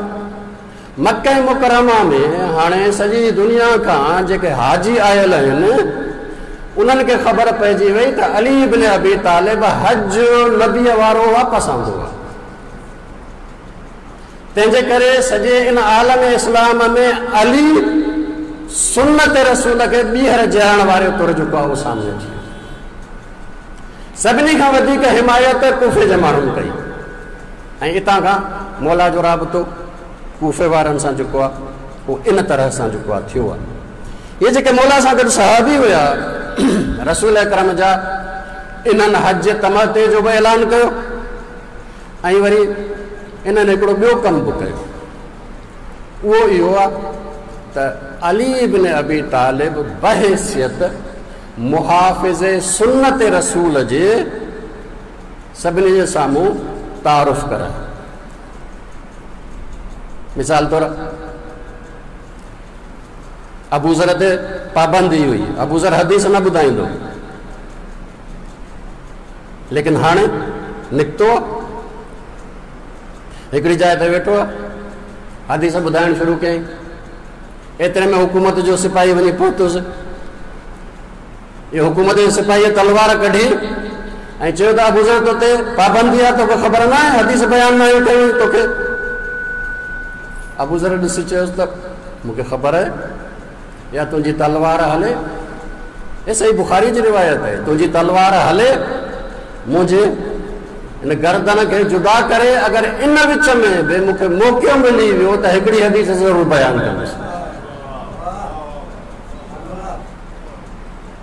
مڪه مڪرمه ۾ هاڻي سڄي دنيا کان جيڪي حاجي آيل آهن انهن کي خبر پئجي وئي ته علي بن ابي طالب حج نبيء وارو واپس آندو آهي. تنهن جي ڪري سڄي ان عالم اسلام ۾ علي سنت رسول کي ٻيهر جيارڻ واري طور جيڪو آهي اهو سامهون اچي ويو. سڀني کان وڌيڪ حمايت ڪوفي جي ماڻهن ڪئي ۽ اتان کان مولا جو رابطو ڪوفي وارن سان جيڪو آهي اهو ان طرح سان جيڪو آهي ٿيو آهي. اهي جيڪي مولا سان گڏ صحابي هيا رسول اڪرم جا، انهن حج تمتع جو به اعلان ڪيو ۽ وري انهن هڪڙو ٻيو ڪم به ڪيو، اهو اهو آهي ته علي بن ابي طالب بحيثيت محافظ سنت رسول جي سڀني جي سامهون تعارف ڪرايو. مثال طور ابوذر تي پابندي هئي، ابوذر حديث نه ٻڌائيندو، ليڪن هاڻي نڪتو هڪڙي جاء تي ويٺو حديث ٻڌائڻ شروع ڪيائين. ايتري ۾ حڪومت جو سپاهي وڃي پهتس. اهو حڪومت جي سپاهيء تلوار ڪڍي ۽ چيو ته ابوذر تو تي پابندي آهي، توکي خبر نه آهي حديث بيان نه آهيون ڪيون توکي. ابوذر ڏسي چيس ته مون کي خبر آهي، يا تنهنجي تلوار هلي، هي صحيح بخاري جي روايت آهي، تنهنجي تلوار هلي منهنجي ان گردن کي جدا ڪري، اگر ان وچ ۾ به مون کي موقعو ملي ويو ته هڪڙي حديث ضرور بيان ڪندس.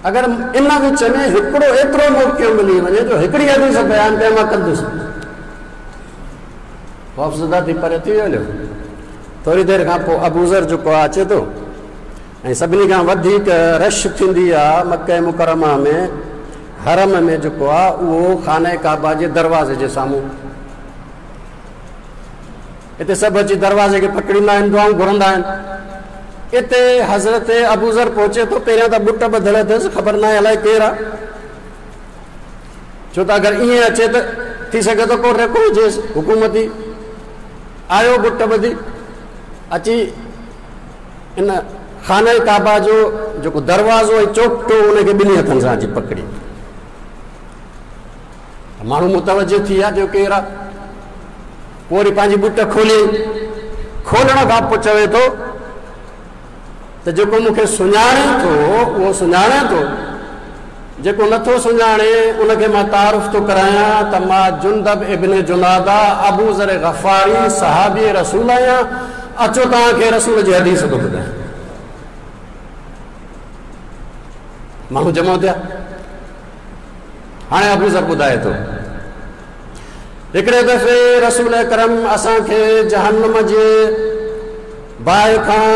اگر ان وچ ۾ هڪڙو ايترو موقعو ملي وڃي جو هڪڙي حديث بيان ڪيان مان ڪندس. خوفزده ٿي پري ٿي ويو هليو. ٿوري دير کان پوء ابوذر جيڪو آهي اچي ٿو ۽ سڀني کان وڌيڪ رش ٿيندي آهي مڪه مڪرمه ۾ حرم ۾ جيڪو آهي اهو خانه ڪعبه جي دروازي جي سامهون. اتي سڀ اچي دروازي کي پڪڙيندا آهن، دعائون گهرندا آهن. اتي حضرت ابوذر پهچي ٿو. پهريان ته ٻٽ ٻڌل اٿس، خبر ناهي الائي ڪير آهي، ڇو ته اگر ائين اچي ته ٿي سگهي ٿو ڪو ريڪو هجيس حڪومتي. آيو ٻٽ ٻڌي اچي ان خانه ڪعبه جو جيڪو دروازو ۽ چوکٽو ان کي ٻنهي هٿن سان اچي پڪڙي. ماڻهو متوجه ٿي ويا جو ڪير آ. پوء وري پنهنجي ٻٽ کولي، کولڻ کان پوء چوي ٿو ته جيڪو مون کي سڃاڻي ٿو اهو سڃاڻي ٿو، جيڪو نٿو سڃاڻي ان کي مان تعارف ٿو ڪرايان ته مان جندب ابن جناده ابو ذر غفاري صحابي رسول آهيان، اچو توهان کي رسول جي حديث ٿو ٻڌايان. ماڻهو جمع ٿيا. هاڻي ابوذر ٻڌائي ٿو، هڪڙي دفعي رسول اڪرم اسان کي جهنم جي باهه کان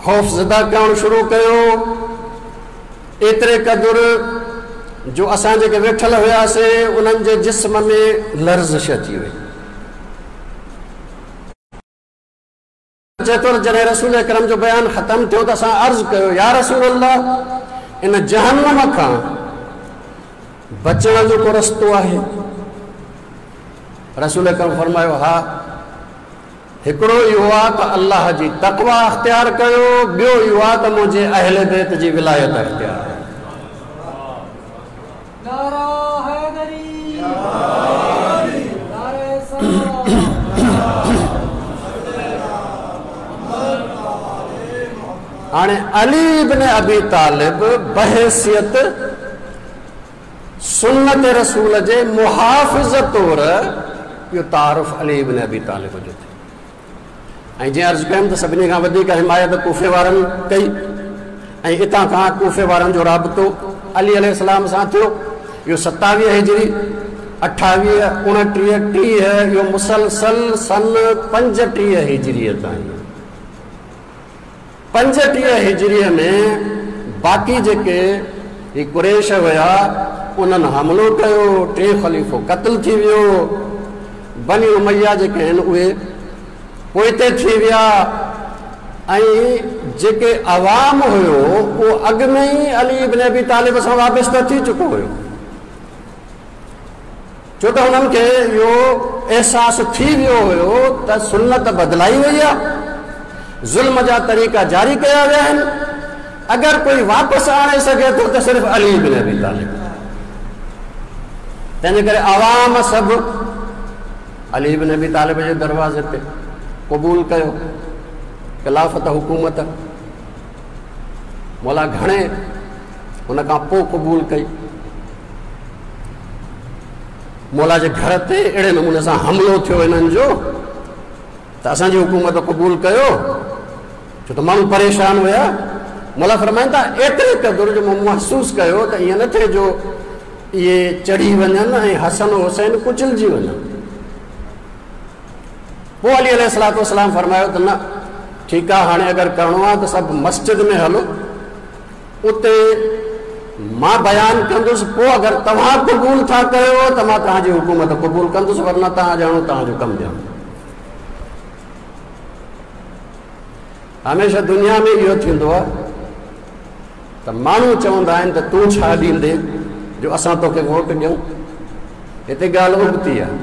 خوف زده ڪرڻ شروع ڪيو، ايتري قدر جو اسان جيڪي ويٺل هياسين انهن جي جسم ۾ لرزش اچي وئي. چئي ٿو ته جڏهن رسول اڪرم جو بيان ختم ٿيو ته اسان عرض ڪيو، يا رسول الله! ان جهنم کان بچڻ جو ڪو رستو آهي؟ رسول اڪرم فرمايو، ها، هڪڙو اهو آهي ته الله جي تقويٰ اختيار ڪيو، ٻيو اهو آهي ته منهنجي اهل بيت جي ولايت اختيار ڪيو. نعره حيدري نعره سلام. هاڻي علي ابن ابي طالب بحيثيت سنت رسول جي محافظ طور اهو تعارف علي ابن ابي طالب جو ٿيو. ۽ جيئن عرض ڪيم ته سڀني کان وڌيڪ حمايت ڪوفي وارن ڪئي ۽ اتان کان ڪوفي وارن جو رابطو علي عليه السلام سان ٿيو. اهو ستاويهه هجري، اٺاويهه، اڻٽيهه، ٽيهه، اهو مسلسل سن پنجٽيهه هجريء تائين. پنجٽيهه هجريء ۾ باقي جيڪي هي قريش هيا انهن حملو ڪيو، ٽئين خليفو قتل ٿي ويو. بني اميه جيڪي آهن اهي پوئتي ٿي ويا ۽ جيڪي عوام هيو اهو اڳ ۾ ئي علي ابن ابي طالب سان وابسته ٿي چڪو هيو، ڇو ته هنن کي اهو احساس ٿي ويو هيو ته سنت بدلائي وئي آهي، ظلم جا طريقا جاري ڪيا ويا آهن، اگر ڪوئي واپس آڻي سگهي ٿو ته صرف علي بن ابي طالب. تنهنجي ڪري عوام سڀ علي بن ابي طالب جي دروازي تي قبول ڪيو خلافت حڪومت. مولا گهڻي ان کان پوء قبول ڪئي. مولا جي گهر تي اهڙي نموني سان حملو ٿيو هنن جو ته اسان جي حڪومت قبول ڪيو، ڇو ته ماڻهو پريشان هيا. مولا فرمائن ٿا ايتري قدر جو مون محسوس ڪيو ته ائين نه ٿئي جو اهي چڙهي وڃن ۽ حسن و حسين ڪچلجي وڃن. پوء علي عليه الصلوة والسلام فرمايو ته نه ٺيڪ آهي، هاڻي اگر ڪرڻو آهي ته سڀ مسجد ۾ هلو، اتي مان بيان ڪندس، پوء اگر توهان قبول ٿا ڪيو ته مان توهان جي حڪومت قبول ڪندس، ورنه توهان ڄاڻو توهان جو ڪم ڄاڻو. هميشه دنيا ۾ اهو ٿيندو آهي ته ماڻهو چوندا آهن ته تون ڇا ڏيندين جو اسان توکي ووٽ ڏيون. هتي ڳالهه ابتي آهي.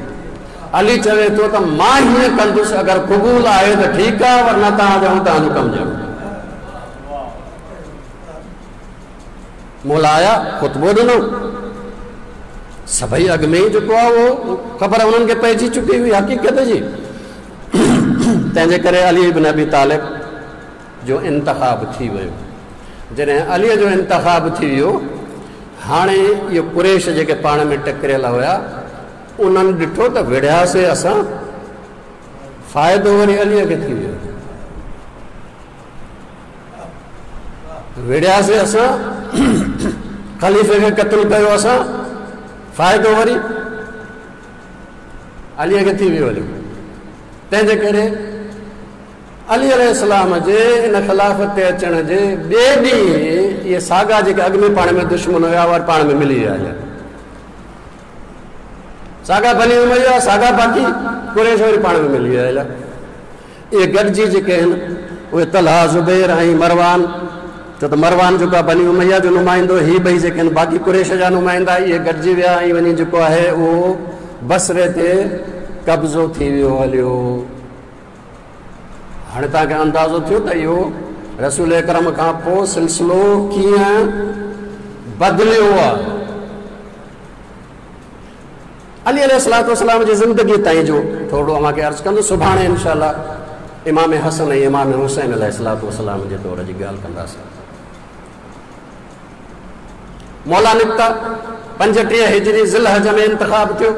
علي چوي ٿو ته مان هيئن ڪندس، اگر قبول آهي ته ٺيڪ آهي، ورنه توهان ڄاڻو توهان جو ڪم ڄاڻو. مولا آيا، خطبو ڏنو، سڀئي اڳ ۾ ئي جيڪو آهي اهو خبر انهن کي پئجي چڪي هئي حقيقت جي. تنهن جي ڪري علي ابن ابي طالب جو انتخاب ٿي ويو. جڏهن علي جو انتخاب ٿي ويو، هاڻي اهي قريش جيڪي پاڻ ۾ ٽڪريل هيا، انهن ڏٺو ته وڙهياسي اسان، فائدو وري علي کي ٿي ويو. وڙهياسي اسان، خليفي کي قتل ڪيو اسان، فائدو وري علي کي ٿي ويو هليو. تنهن جي ڪري علي عليه السلام جي ان خلافت تي اچڻ جي ٻئي ڏينهن اهي ساڳا جيڪي اڳ ۾ پاڻ ۾ دشمن هيا وري پاڻ ۾ ملي ويا هليا. ساڳا بني اميه، ساڳا باقي قريش وري پاڻ ۾ ملي ويا هليا. اهي گڏجي جيڪي آهن اهي طلحه، زبير ۽ مروان، ڇو ته مروان جيڪو آهي بني اميه جو نمائندو، هي ٻئي جيڪي آهن باقي قريش جا نمائندا، اهي گڏجي ويا ۽ وڃي جيڪو آهي اهو بصري تي قبضو ٿي ويو هليو. هاڻي توهان کي اندازو ٿيو ته اهو رسول اڪرم کان پوء سلسلو ڪيئن بدليو آهي. علي عليه الصلوة والسلام جي زندگيء تائين جو ٿورڙو اوهان کي عرض ڪندس. سڀاڻي انشاء الله امام حسن ۽ امام حسين عليه الصلوة والسلام جي دور جي ڳالهه ڪنداسين. مولا نڪتا، 35 هجري ذي الحج ۾ انتخاب ٿيو.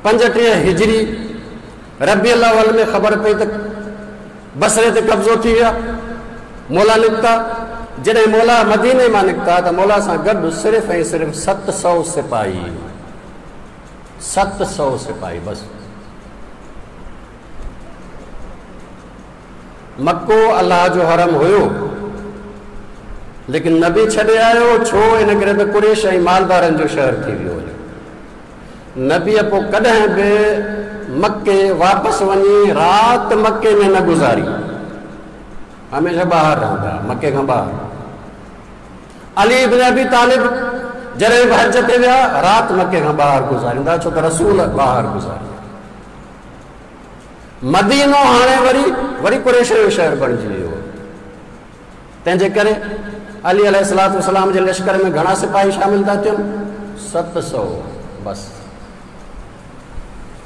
35 هجري ربيع الاول ۾ خبر پئي ته بصري تي قبضو ٿي ويا. مولا نڪتا، جڏهن مولا مديني مان نڪتا ته مولا سان گڏ صرف ۽ صرف 700 سپاهي، 700 سپاهي بس. مڪو الله جو حرم هيو، ليڪن نبي ڇڏي آيو، ڇو؟ ان ڪري ته قريش ۽ مالدارن جو شهر ٿي ويو هيو. نبيء پوء ڪڏهن به مڪي واپس وڃي رات مڪي ۾ نه گذاري، هميشه ٻاهر رهندا، مڪي کان ٻاهر. علي ابن ابي طالب جڏهن به حج تي ويا، رات مڪي کان ٻاهر گذاريندا، ڇو ته رسول ٻاهر گذاري. مدينو هاڻي وري وري قريش جو شهر بڻجي ويو. تنهن جي ڪري علي عليه الصلوة والسلام جي لشڪر ۾ گهڻا سپاهي شامل ٿا ٿين؟ 700 بس،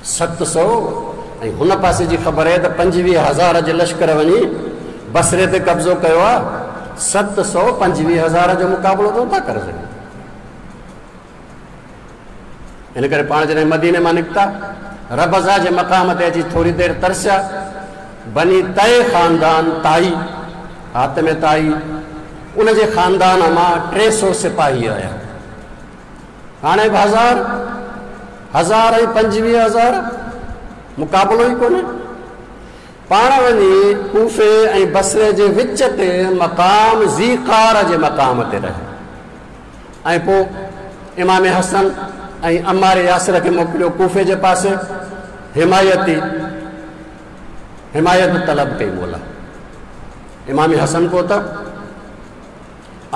700. ۽ هن پاسي جي خبر آهي ته 25,000 جي لشڪر وڃي بصري تي قبضو ڪيو آهي. 700 25,000 جو مقابلو ته نٿا ڪري سگهن. ان ڪري پاڻ جڏهن مديني مان نڪتا، ربذه جي مقام تي اچي ٿوري دير ترسيا. بني طي خاندان، طائي، حاتم طائي، ان جي خاندان مان 300 سپاهي آيا. هاڻي به هزار، هزار ۽ 25,000 مقابلو ئي ڪونهي. پاڻ وڃي ڪوفي ۽ بصري جي وچ تي مقام ذي قار جي مقام تي رهيا. ۽ پوء امام حسن ۽ عمار ياسر کي موڪليو ڪوفي جي پاسي. حمايتي حمايت طلب ڪئي مولا. امام حسن پهتا،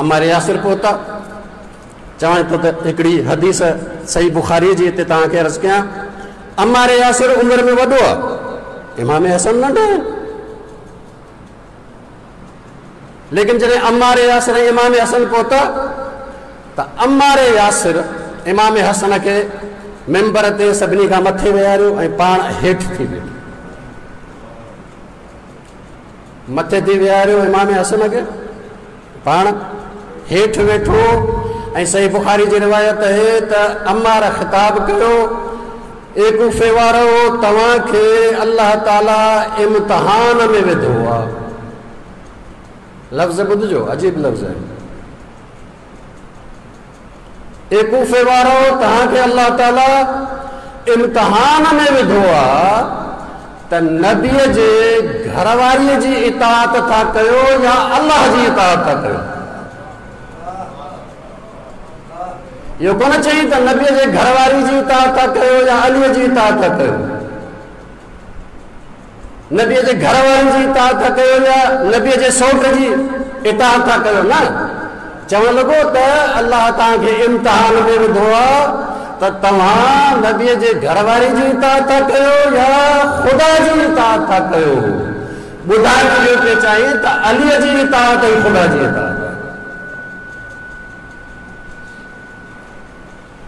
عمار ياسر پهتا. چوان ٿو ته هڪڙي حديث صحيح بخاري جي هتي توهان کي عرض ڪيان. عمار ياسر عمر ۾ وڏو آهي، امام حسن ننڍو آهي. ليڪن جڏهن عمار ياسر ۽ امام حسن پهتا ته عمار ياسر امام حسن کي منبر تي سڀني کان مٿي ويهاريو ۽ پاڻ هيٺ ٿي ويٺو. مٿي ٿي ويهاريو امام حسن کي، پاڻ هيٺ ويٺو. ۽ صحيح بخاري جي روايت آهي ته عمار خطاب ڪيو، اي ڪوفي وارو، توهان کي الله تعالي امتحان ۾ وڌو آ. لفظ ٻڌجو، عجيب لفظ آهن. اي ڪوفي وارو، توهان کي الله تعالي امتحان ۾ وڌو آ ته نبيء جي گهر واريء جي اطاعت ٿا ڪيو يا الله جي اطاعت ٿا ڪيو؟ اهو ڪونه چئي ته نبيء جي گهر واري جي اطاعت ٿا ڪيو يا عليء جي اطاعت ٿا ڪيو. نبيء جي گهر وارن جي اطاعت ٿا ڪيو يا نبيء جي سئوٽ جي اطاعت ٿا ڪيو؟ نه، چوڻ لڳو ته الله توهان کي امتحان ۾ وڌو آهي ته توهان نبيء جي گهر واري جي اطاعت ٿا ڪيو يا خدا جي اطاعت ٿا ڪيو. ٻڌائڻ اهو پئي چاهين ته عليء جي اطاعت ۽ خدا جي اطاعت آهي.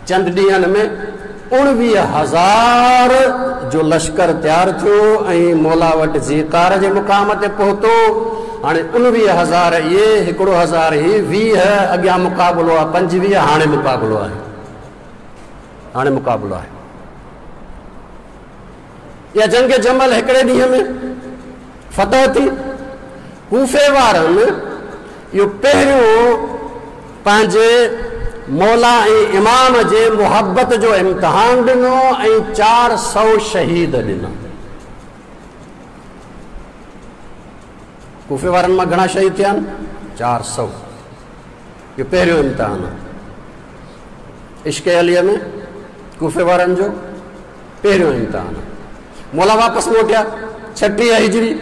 چند ڏينهن ۾ 19,000 جو لشڪر تيار ٿيو ۽ مولا وٽ ذيقار جي مقام تي پهتو. هاڻي 19,000 اهي، 1,000 هي، 20 اڳيان مقابلو آهي، 25 هاڻي مقابلو آهي. هاڻي مقابلو آهي. اها جنگ جمل هڪڙي ڏينهن ۾ فتح ٿي. ڪوفي وارن اهو پهريون پنهنجي مولا ۽ امام جي محبت جو امتحان ڏنو ۽ 400 شهيد ڏنا. ڪوفي وارن مان گهڻا شهيد ٿيا آهن؟ 400. اهو پهريون امتحان آهي عشق عليء ۾ ڪوفي وارن جو پهريون امتحان آهي. مولا واپس موٽيا 36 هجري،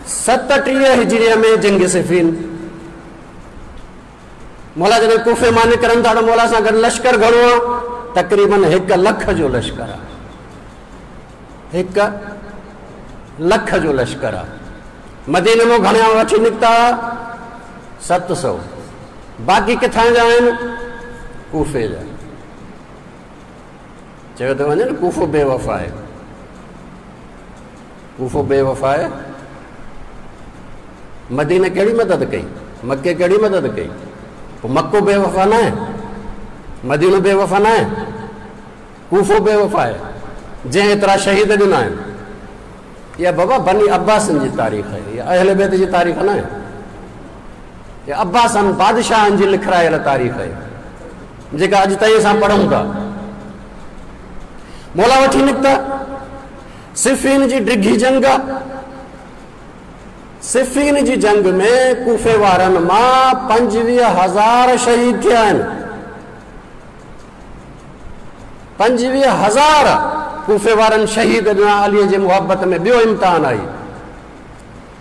37 هجريء ۾ جنگ صفين. مولا جڏهن ڪوفي مان نڪرن ٿا ته مولا سان گڏ لشڪر گهڻو آهي، تقريبن 1 لک جو لشڪر آهي. 1 لک جو لشڪر آهي. مديني مان گهڻا وٺي نڪتا؟ 700. باقي ڪٿان جا آهن؟ ڪوفي جا. چيو ٿو وڃي نه ڪوفو بي وفا آهي، ڪوفو بي وفا آهي. مديني ڪهڙي مدد ڪئي؟ مڪي ڪهڙي مدد ڪئي؟ پوء مڪو بي وفا نه آهي، مدينو بي وفا نه آهي، ڪوفو بي وفا آهي جنهن ايترا شهيد ڏنا آهن. اها بابا بني عباسن جي تاريخ آهي، اها اهل بيت جي تاريخ نه آهي. اها عباسن بادشاهن جي لکرايل تاريخ آهي جيڪا اڄ تائين اسان پڙهون ٿا. مولا وٺي نڪتا. صفين جي ڊگهي جنگ آ. صفين جي جنگ ۾ ڪوفي وارن مان 25,000 شهيد ٿيا آهن. 25,000 ڪوفي وارن شهيد ڏنا علي جي محبت ۾. ٻيو امتحان آئي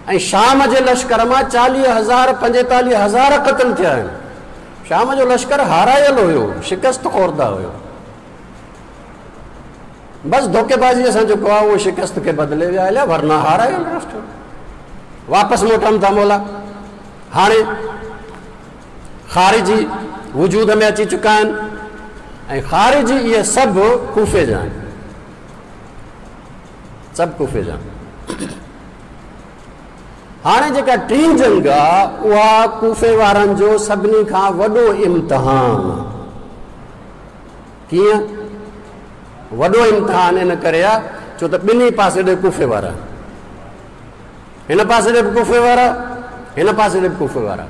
۽ شام جي لشڪر مان 40,000، 45,000 قتل ٿيا آهن. شام جو لشڪر هارايل هيو، شڪست خورده هيو. بس ڌوڪيبازيء سان جيڪو آهي اهو شڪست کي بدلي ويا هليا، ورنه هارايل راشٽر. واپس موٽن ٿا مولا. هاڻي خارجي وجود ۾ اچي چڪا آهن ۽ خارجي اهي سڀ ڪوفي جا آهن، سڀ ڪوفي جا. هاڻي جيڪا ٽين جنگ آ اها ڪوفي وارن جو سڀني کان وڏو امتحان آ. ڪيئن وڏو امتحان؟ ان ڪري آ ڇو ته ٻنهي پاسي ڏي ڪوفي وارا، هن پاسي ڏي به ڪوفي وارا، هن پاسي ڏي به ڪوفي وارا.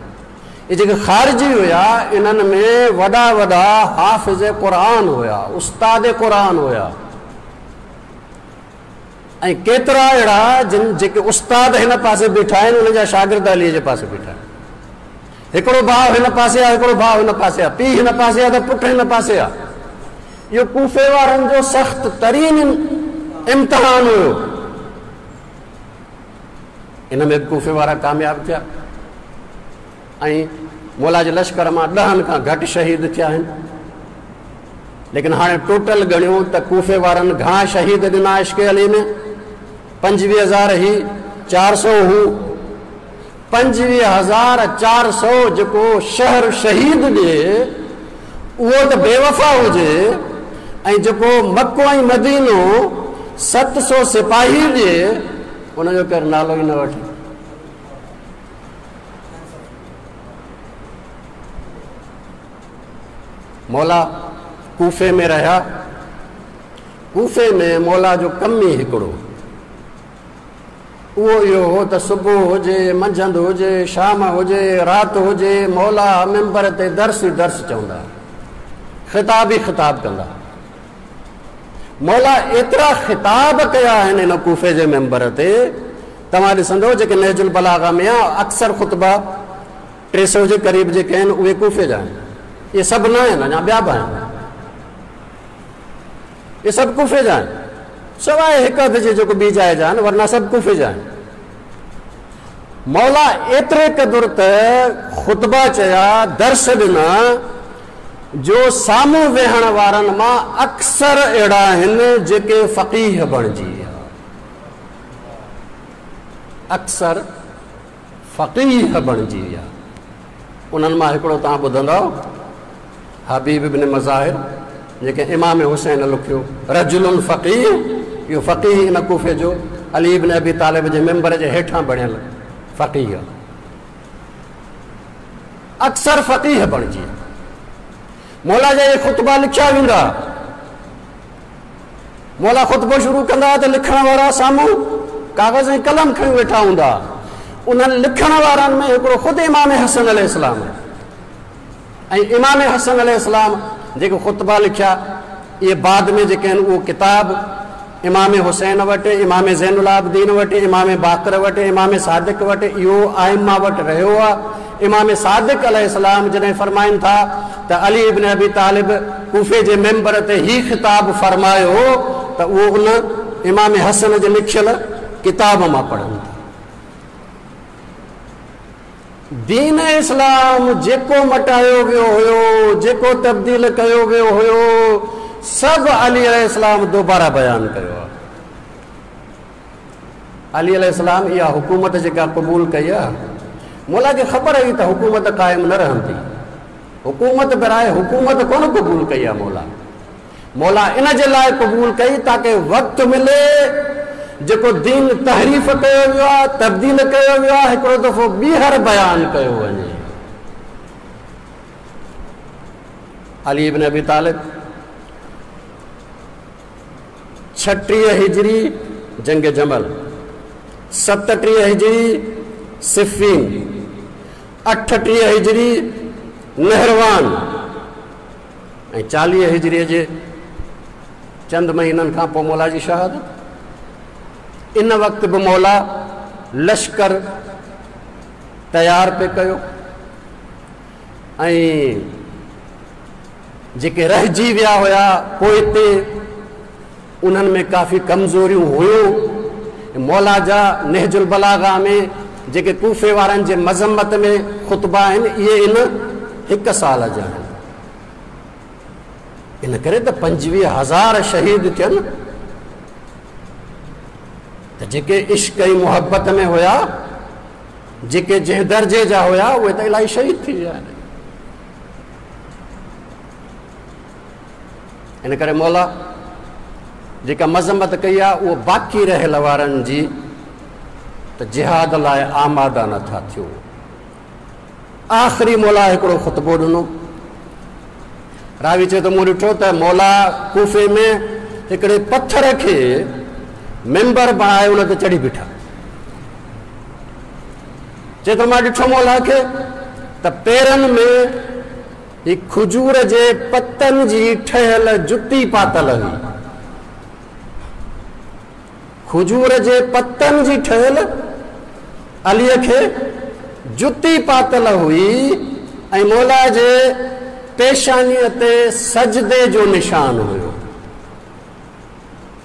اهي جيڪي خارجي هيا انهن ۾ وڏا وڏا حافظ قرآن هيا، استاد قرآن هيا، ۽ ڪيترا اهڙا جن جيڪي استاد هن پاسي بيٺا آهن انهن جا شاگرد علي جي پاسي بيٺا آهن. هڪڙو ڀاء هن پاسي آهي، هڪڙو ڀاء هن پاسي آهي، پيء هن پاسي آهي ته پٽ هن پاسي آهي. اهو ڪوفي وارن جو سخت ترين امتحان هيو. ان ۾ به ڪوفي وارا ڪامياب ٿيا ۽ مولا جي لشڪر مان ڏهن کان گهٽ شهيد ٿيا آهن. ليڪن هاڻي ٽوٽل ڳڻيو ته ڪوفي وارن گهڻا شهيد ڏنا عشق علي ۾؟ 25000 هي 400 هو 25400 جيڪو شهر شهيد ڏي اهو ته بيوفا هجي ۽ جيڪو مڪو ۽ مدينو 700 سپاهي ڏي ان جو ڪير نالو ئي نه وٺي. مولا ڪوفي ۾ رهيا. ڪوفي ۾ مولا جو ڪم ئي هڪڙو اهو اهو هو ته صبح هجي، منجهند هجي، شام هجي، رات هجي، مولا منبر تي درس ئي درس چوندا، خطاب ئي خطاب ڪندا. مولا ايترا خطاب ڪيا آهن ان ڪوفي جي منبر تي، توهان ڏسندؤ جيڪي نهج البلاغه ۾ آ اڪثر خطبا 300 جي قريب جيڪي آهن اهي ڪوفي جا آهن. اهي سڀ نه آهن، اڃا ٻيا به آهن. اهي سڀ ڪوفي جا آهن، سواء هڪ اڌ جي جيڪو ٻي جاء جا آهن، ورنه سڀ ڪوفي جا آهن. مولا ايتري قدر ته خطبا چيا، درس ڏنا، جو سامهون ويهڻ وارن مان اڪثر اهڙا آهن جيڪي فقيه بڻجي ويا. اڪثر فقيه بڻجي ويا. انهن مان هڪڙو توهان ٻڌندؤ، حبيب بن مظاهر، جيڪي امام حسين لکيو، رجل فقيه، اهو فقيه ان ڪوفي جو علي بن ابي طالب جي منبر جي هيٺان بڻيل فقيه. اڪثر فقيه بڻجي ويا. مولا جا اهي خطبا لکيا ويندا. مولا خطبو شروع ڪندا ته لکڻ وارا سامهون ڪاغذ ۽ قلم کڻي ويٺا هوندا. انهن لکڻ وارن ۾ هڪڙو خود امام حسن عليه السلام ۽ امام حسن عليه السلام جيڪي خطبا لکيا اهي بعد ۾ جيڪي آهن اهو ڪتاب امام حسين وٽ، امام زين العابدين وٽ، امام باقر وٽ، امام صادق وٽ، اهو ائمه وٽ رهيو آهي. امام صادق عليه السلام جڏهن فرمائن ٿا ته علي ابن ابي طالب ڪوفي جي منبر تي هي خطاب فرمايو ته اهو ان امام حسن جي لکيل ڪتاب مان پڙهن ٿا. دين اسلام جيڪو مٽايو ويو هيو، جيڪو تبديل ڪيو ويو هيو، سڀ علي عليه السلام دوباره بيان ڪيو آهي. علي عليه السلام اها حڪومت جيڪا قبول ڪئي آهي، مولا کي خبر هئي ته حڪومت قائم نه رهندي. حڪومت براء حڪومت ڪونه قبول ڪئي آهي مولا. مولا ان جي لاء قبول ڪئي تاڪه وقت ملي جيڪو دين تحريف ڪيو ويو آهي، تبديل ڪيو ويو آهي، هڪڙو دفعو ٻيهر بيان ڪيو وڃي. علي ابن ابي طالب 36 هجري جنگ جمل، 37 هجري صفين، 38 هجري نهروان ۽ 40 هجريء جي چند مهينن کان پوء مولا جي شهادت. ان وقت به مولا لشڪر تيار پئي ڪيو ۽ جيڪي رهجي ويا هيا پوئتي انهن ۾ ڪافي ڪمزوريون هيون. مولا جا نهج البلاغه ۾ جيڪي ڪوفي وارن جي مذمت ۾ خطبا آهن اهي ان هڪ سال جا آهن. ان ڪري ته 25000 شهيد ٿين ته جيڪي عشق ۽ محبت ۾ هيا، جيڪي جنهن درجي جا هيا، اهي ته الاهي شهيد ٿي ويا آهن. ان ڪري مولا جيڪا مذمت ڪئي آهي اهو باقي رهيل وارن جي ته جهاد لاء آماده نٿا ٿيو. آخري مولا هڪڙو خطبو ڏنو. راوي چئي ٿو مون ڏٺو ته مولا ڪوفي ۾ هڪڙي پٿر کي منبر بڻائي ان تي چڙهي بيٺا. چئي ٿو مان ڏٺو مولا کي ته پيرن ۾ هي کجور جي پتن جي ٺهيل جتي پاتل هئي. کجور جي پتن جي ٺهيل عليء کي جتي پاتل هئي ۽ مولا جي پيشانيء تي سجدي جو نشان هيو.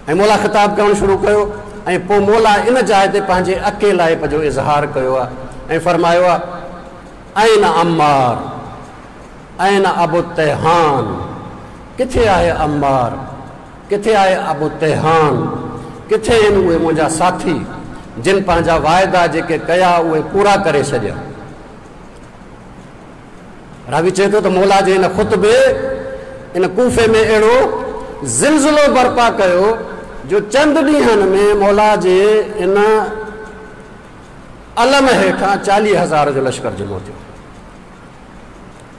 ۽ مولا خطاب ڪرڻ شروع ڪيو ۽ پوء مولا ان جاء تي پنهنجي اڪيلائپ جو اظهار ڪيو آهي ۽ فرمايو آهي، اين عمار، اين ابو التيهان، ڪٿي آهي عمار، ڪٿي آهي ابو تيهان، ڪٿي آهن اهي منهنجا ساٿي جن پنهنجا واعدا جيڪي ڪيا اهي پورا ڪري ڇڏيا. راوي چئي ٿو ته مولا جي ان خطبي ان ڪوفي ۾ اهڙو زلزلو برپا ڪيو جو چند ڏينهن ۾ مولا جي ان علم هيٺان 40,000 جو لشڪر جمع ٿيو.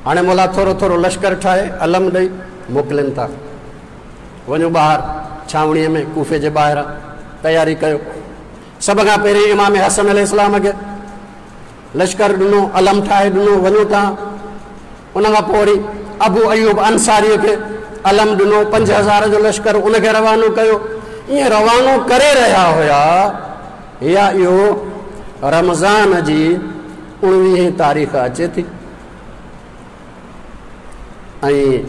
هاڻي مولا ٿورو ٿورو لشڪر ٺاهي علم ڏئي موڪلين ٿا، وڃو ٻاهر ڇانوڻيء ۾ ڪوفي جي ٻاهران تياري ڪيو. سڀ کان پهرين امام حسن عليه السلام کي لشڪر ڏنو، علم ٺاهي ڏنو، وڃو تان. ان کان پوء وري ابو ايوب انصاريء کي علم ڏنو، 5,000 جو لشڪر ان کي روانو ڪيو. ائين روانو ڪري رهيا هيا يا اهو رمضان جي اڻويهين تاريخ اچي ٿي ۽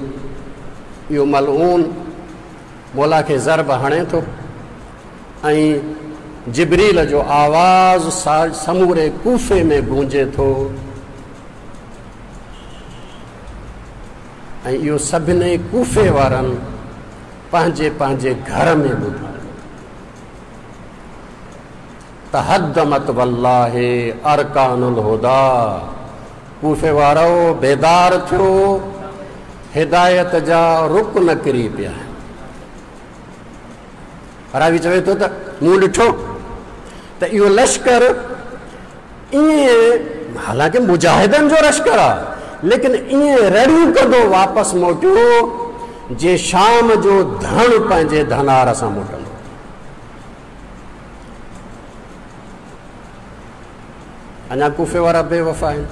اهو ملعون مولا کي ضرب هڻي ٿو ۽ جبريل جو آواز سموري ڪوفي ۾ گونجي ٿو ۽ اهو سڀني ڪوفي وارن پنهنجي پنهنجي گهر ۾ ٻڌو. تهدمت والله ارڪان الهديٰ، ڪوفي وارؤ بيدار ٿيو، هدايت جا رڪن ڪري پيا آهن. راوي چوي ٿو ته مون ڏٺو ته اهو لشڪر ائين حالانڪه مجاهدن جو لشڪر آهي ليڪن ائين رڙيون ڪندو واپس موٽيو جيئن شام جو ڌڻ پنهنجي ڌنار سان موٽندو. اڃا ڪوفي وارا بي وفا آهن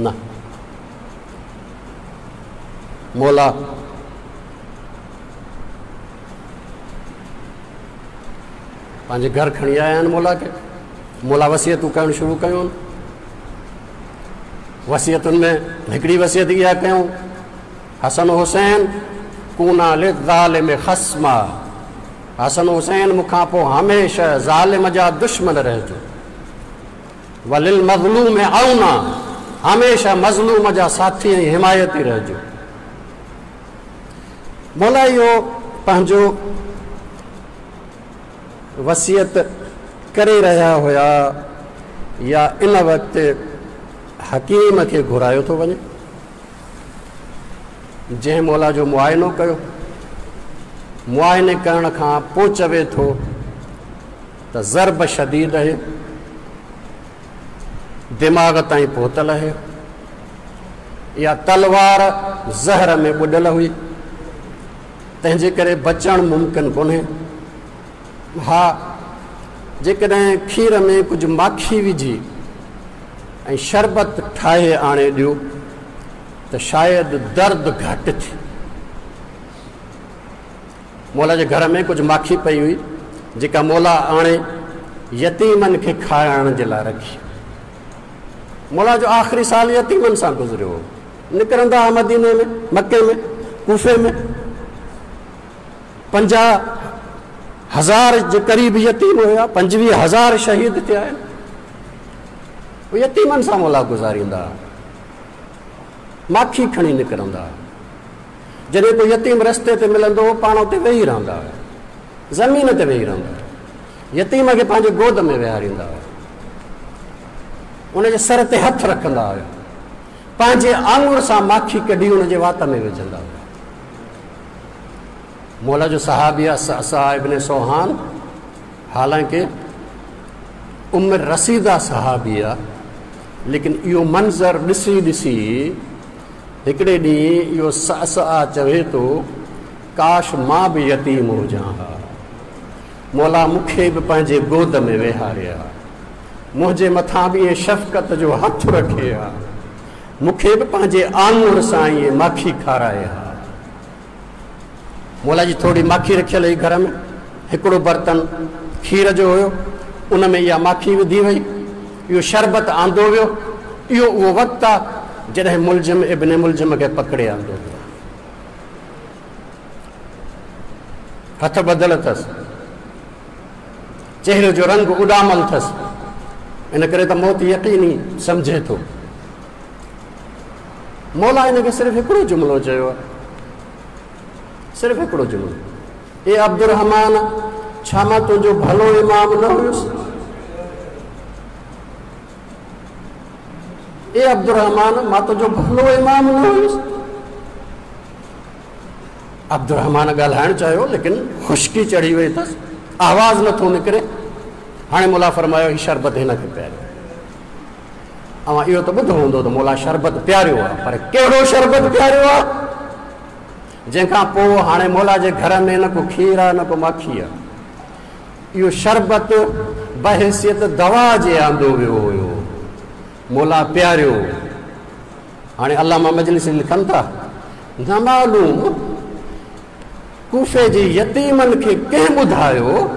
نه. مولا پنهنجي گهر کڻي آيا آهن مولا کي. مولا وصيتون ڪرڻ شروع ڪيون. وصيتن ۾ هڪڙي وصيت اها ڪيون، حسن حسين ڪونا للظالم خصما، حسن حسين مون کان پوء هميشه ظالم جا دشمن رهجو، وللمظلوم عونا، هميشه مظلوم جا ساٿي ۽ حمايتي رهجو. مولا اهو پنهنجو وصيت ڪري رهيا هيا يا ان وقت حڪيم کي گهرايو ٿو وڃي، جنهن مولا جو معائنو ڪيو. معائني ڪرڻ کان پوء چوي ٿو ته ضرب شديد آهي، دماغ تائين پهتل آهي، اها تلوار زهر ۾ ٻڏل هئي، تنهن جي ڪري بچڻ ممڪن ڪونهي. ها، جيڪڏهن کير ۾ ڪجهه ماکي وجهي ۽ شربت ٺاهي آڻي ڏيو ته شايد درد گهٽ ٿئي. مولا جي گهر ۾ ڪجهه ماکي پئي هئي، جيڪا مولا آڻي يتيمن کي کارائڻ جي لاء رکي. مولا جو آخري سال يتيمن سان گذريو هو. نڪرندا هئا مديني ۾، مڪي ۾، ڪوفي ۾ 50,000 جي قريب يتيم هيا، 25,000 شهيد ٿيا آهن. يتيمن سان مولا گذاريندا هئا، ماکي کڻي نڪرندا هئا. جڏهن ڪو يتيم رستي تي ملندو هو، پاڻ اتي ويهي رهندا هئا، زمين تي ويهي رهندا هئا. يتيم کي پنهنجي گود ۾ ويهاريندا هئا، ان جي سر تي هٿ رکندا هئا، پنهنجي آڱر سان ماکي ڪڍي ان جي وات ۾ وجهندا هئا. مولا جو صحابي صعصع ابن صوحان، حالانڪه عمر رسيده صحابي آ، ليڪن اهو منظر ڏسي ڏسي هڪڙي ڏينهن اهو صعصع چوي ٿو، ڪاش مان به يتيم هجان ها، مولا مون کي به پنهنجي گود ۾ ويهاري ها، منهنجي مٿان به ائين شفقت جو هٿ رکي ها، مون کي به پنهنجي آڱر سان ائين ماکي کارائي ها. مولا جي ٿوري ماکي رکيل هئي گهر ۾، هڪڙو برتن کير جو هيو، ان ۾ اها ماکي وڌي وئي، اهو شربت آندو ويو. اهو اهو وقت آ جڏهن ملجم ابن ملجم کي پڪڙي آندو ويو. هٿ ٻڌل اٿس، چهري جو رنگ اڏامل اٿس، ان ڪري ته موت يقيني سمجهي ٿو. مولا هن کي صرف هڪڙو جملو چيو آهي، صرف هڪڙو جملو، اي عبدالرحمان، ڇا مان تنهنجو ڀلو امام نه هيس؟ اي عبدالرحمان، مان تنهنجو ڀلو امام نه هيس؟ عبدالرحمان ڳالهائڻ چاهيو ليڪن خشڪي چڙهي وئي اٿس، آواز نٿو نڪري. هاڻي مولا فرمايو هي شربت هن کي پياريو. اوهان اهو ته ٻڌو هوندو ته مولا شربت پياريو آهي، پر ڪهڙو شربت پياريو آهي؟ جنهن کان پوء هاڻي مولا جي گهر ۾ نه ڪو کير آهي نه ڪو ماکي آهي. اهو شربت بحيثيت دوا جي آندو ويو هيو، مولا پياريو. هاڻي علامه مجلسي لکن ٿا، نه معلوم ڪوفي جي يتيمن کي ڪنهن ٻڌايو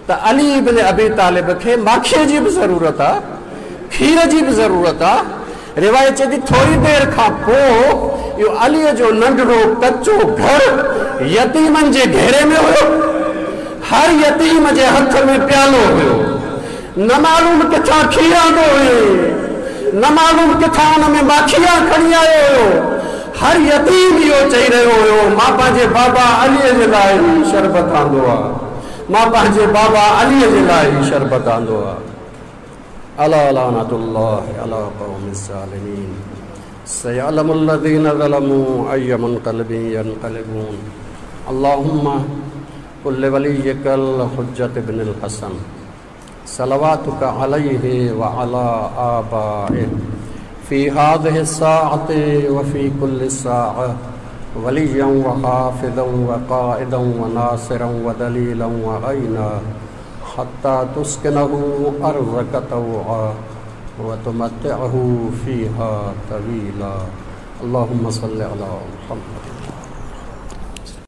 ته علي ابن ابي طالب کي ماکيء جي به ضرورت آ، کير جي به ضرورت آ. روايت چئي ٿي ٿوري دير کان پوء اهو عليء جو ننڍڙو ڪچو گهر يتيمن جي گهيري ۾ هيو. هر يتيم جي هٿ ۾ پيالو هيو. نه معلوم ڪٿان کير آندو هيائين، نه معلوم ڪٿان ان ۾ ماکيا کڻي آيو هيو. هر يتيم اهو چئي رهيو هيو، مان پنهنجي بابا عليء جي لاء هي شربت آندو آ، مان پنهنجي بابا عليء جي لاء هي شربت آندو آ. الا لعنة الله علي القوم الظالمين سيعلم الذين ظلموا اي منقلب ينقلبون. اللهم قل لوليك الحجة ابن الحسن صلواتك عليه وعلى آبائه في هذه الساعة وفي كل ساعة وليا وحافظا وقائدا وناصرا ودليلا وعينا حتى تسكنه أرضك طوعا وتمتعه فيها طويلا. اللهم صل على محمد.